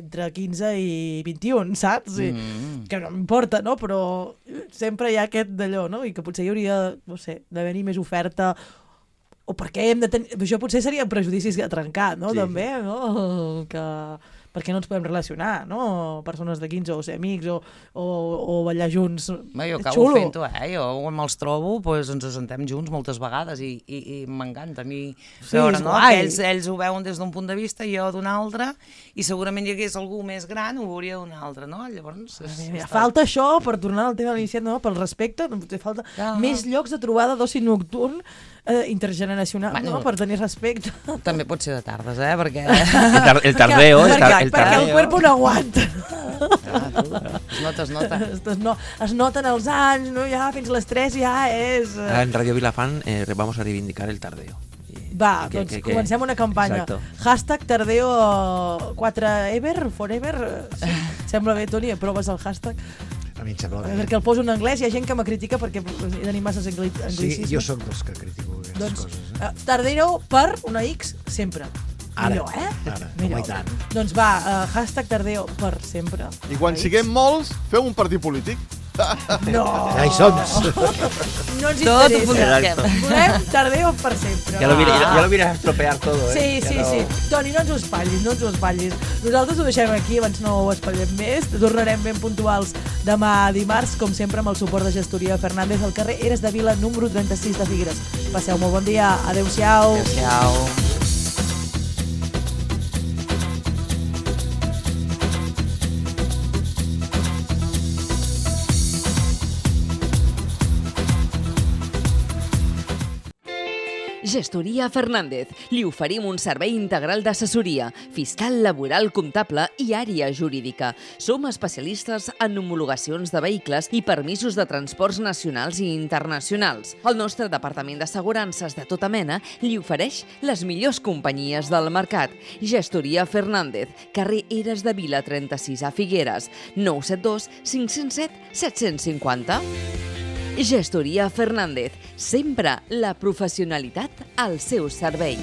entre quinze i vint-i-un, saps? I, Mm. que no m'importa, no? Però sempre hi ha aquest d'allò, no? I que potser hi hauria, no sé, d'haver-hi més oferta o perquè hem de tenir... Això potser serien prejudicis a trencar, no? Sí. També, no? Que... Per què no ens podem relacionar, no? Persones de quinze o ser amics o, o, o ballar junts. Bé, jo És acabo xulo. fent-ho, eh? Jo quan me'ls trobo, pues, ens assentem junts moltes vegades i, i, i m'encanta a mi Sí, veure, és no? guai. Que ells, ells ho veuen des d'un punt de vista i jo d'un altre, i segurament hi hagués algú més gran, ho veuria d'un altre, no? Llavors... És, Mira, està- falta això, per tornar al tema iniciat, no? Pel respecte, no, potser falta Ah. més llocs de trobada d'oci nocturn eh, intergeneracional, Bueno. no? Per tenir respecte. També pot ser de tardes, eh? Perquè... El, tar- el tardeo, el, tar- perquè, el perquè el tardeo. cuerpo no aguanta. Ah, tu, es nota, es nota. Es, es, no, es noten els anys, no? Ja fins a les tres ja és... eh, Ah, En Radio Vilafán eh, vamos a reivindicar el tardeo. Y- Va, que- doncs que- que- comencem una campanya. Exacto. Hashtag Tardeo quatre ever, forever. Sí, sembla bé, Toni, proves el hashtag. A mi em sembla bé. Perquè el poso en anglès, hi ha gent que me critica perquè he tenir masses angli Sí, anglicismes. jo sóc dels que critico aquestes Doncs, coses. Eh? uh, Tardeo per una X sempre. Ara, Millor, eh? ara, Millor. home, i tant. Doncs va, uh, hashtag Tardeo per sempre. I quan Una X. siguem molts, feu un partit polític. No! Ja hi som. No ens Tot ho interessa. busquem. Volem Tardeo per sempre. Ya lo, va. viene, ya, ya lo vienes a estropear todo, ¿eh? Sí, Ya sí, lo- sí. Toni, no ens ho espatllis, no ens ho espatllis. Nosaltres ho deixem aquí, abans no ho espatllem més. Tornarem ben puntuals demà dimarts, com sempre, amb el suport de Gestoria Fernández al carrer Eres de Vila, número trenta-sis de Figueres. Passeu molt bon dia. Adéu-siau. Adéu-siau. Gestoria Fernández. Li oferim un servei integral d'assessoria, fiscal, laboral, comptable i àrea jurídica. Som especialistes en homologacions de vehicles i permisos de transports nacionals i internacionals. El nostre departament d'assegurances de tota mena li ofereix les millors companyies del mercat. Gestoria Fernández, carrer Eres de Vila trenta-sis a Figueres, nou set dos cinc zero set set cinquanta. Gestoria Fernández, sempre la professionalitat al seu servei.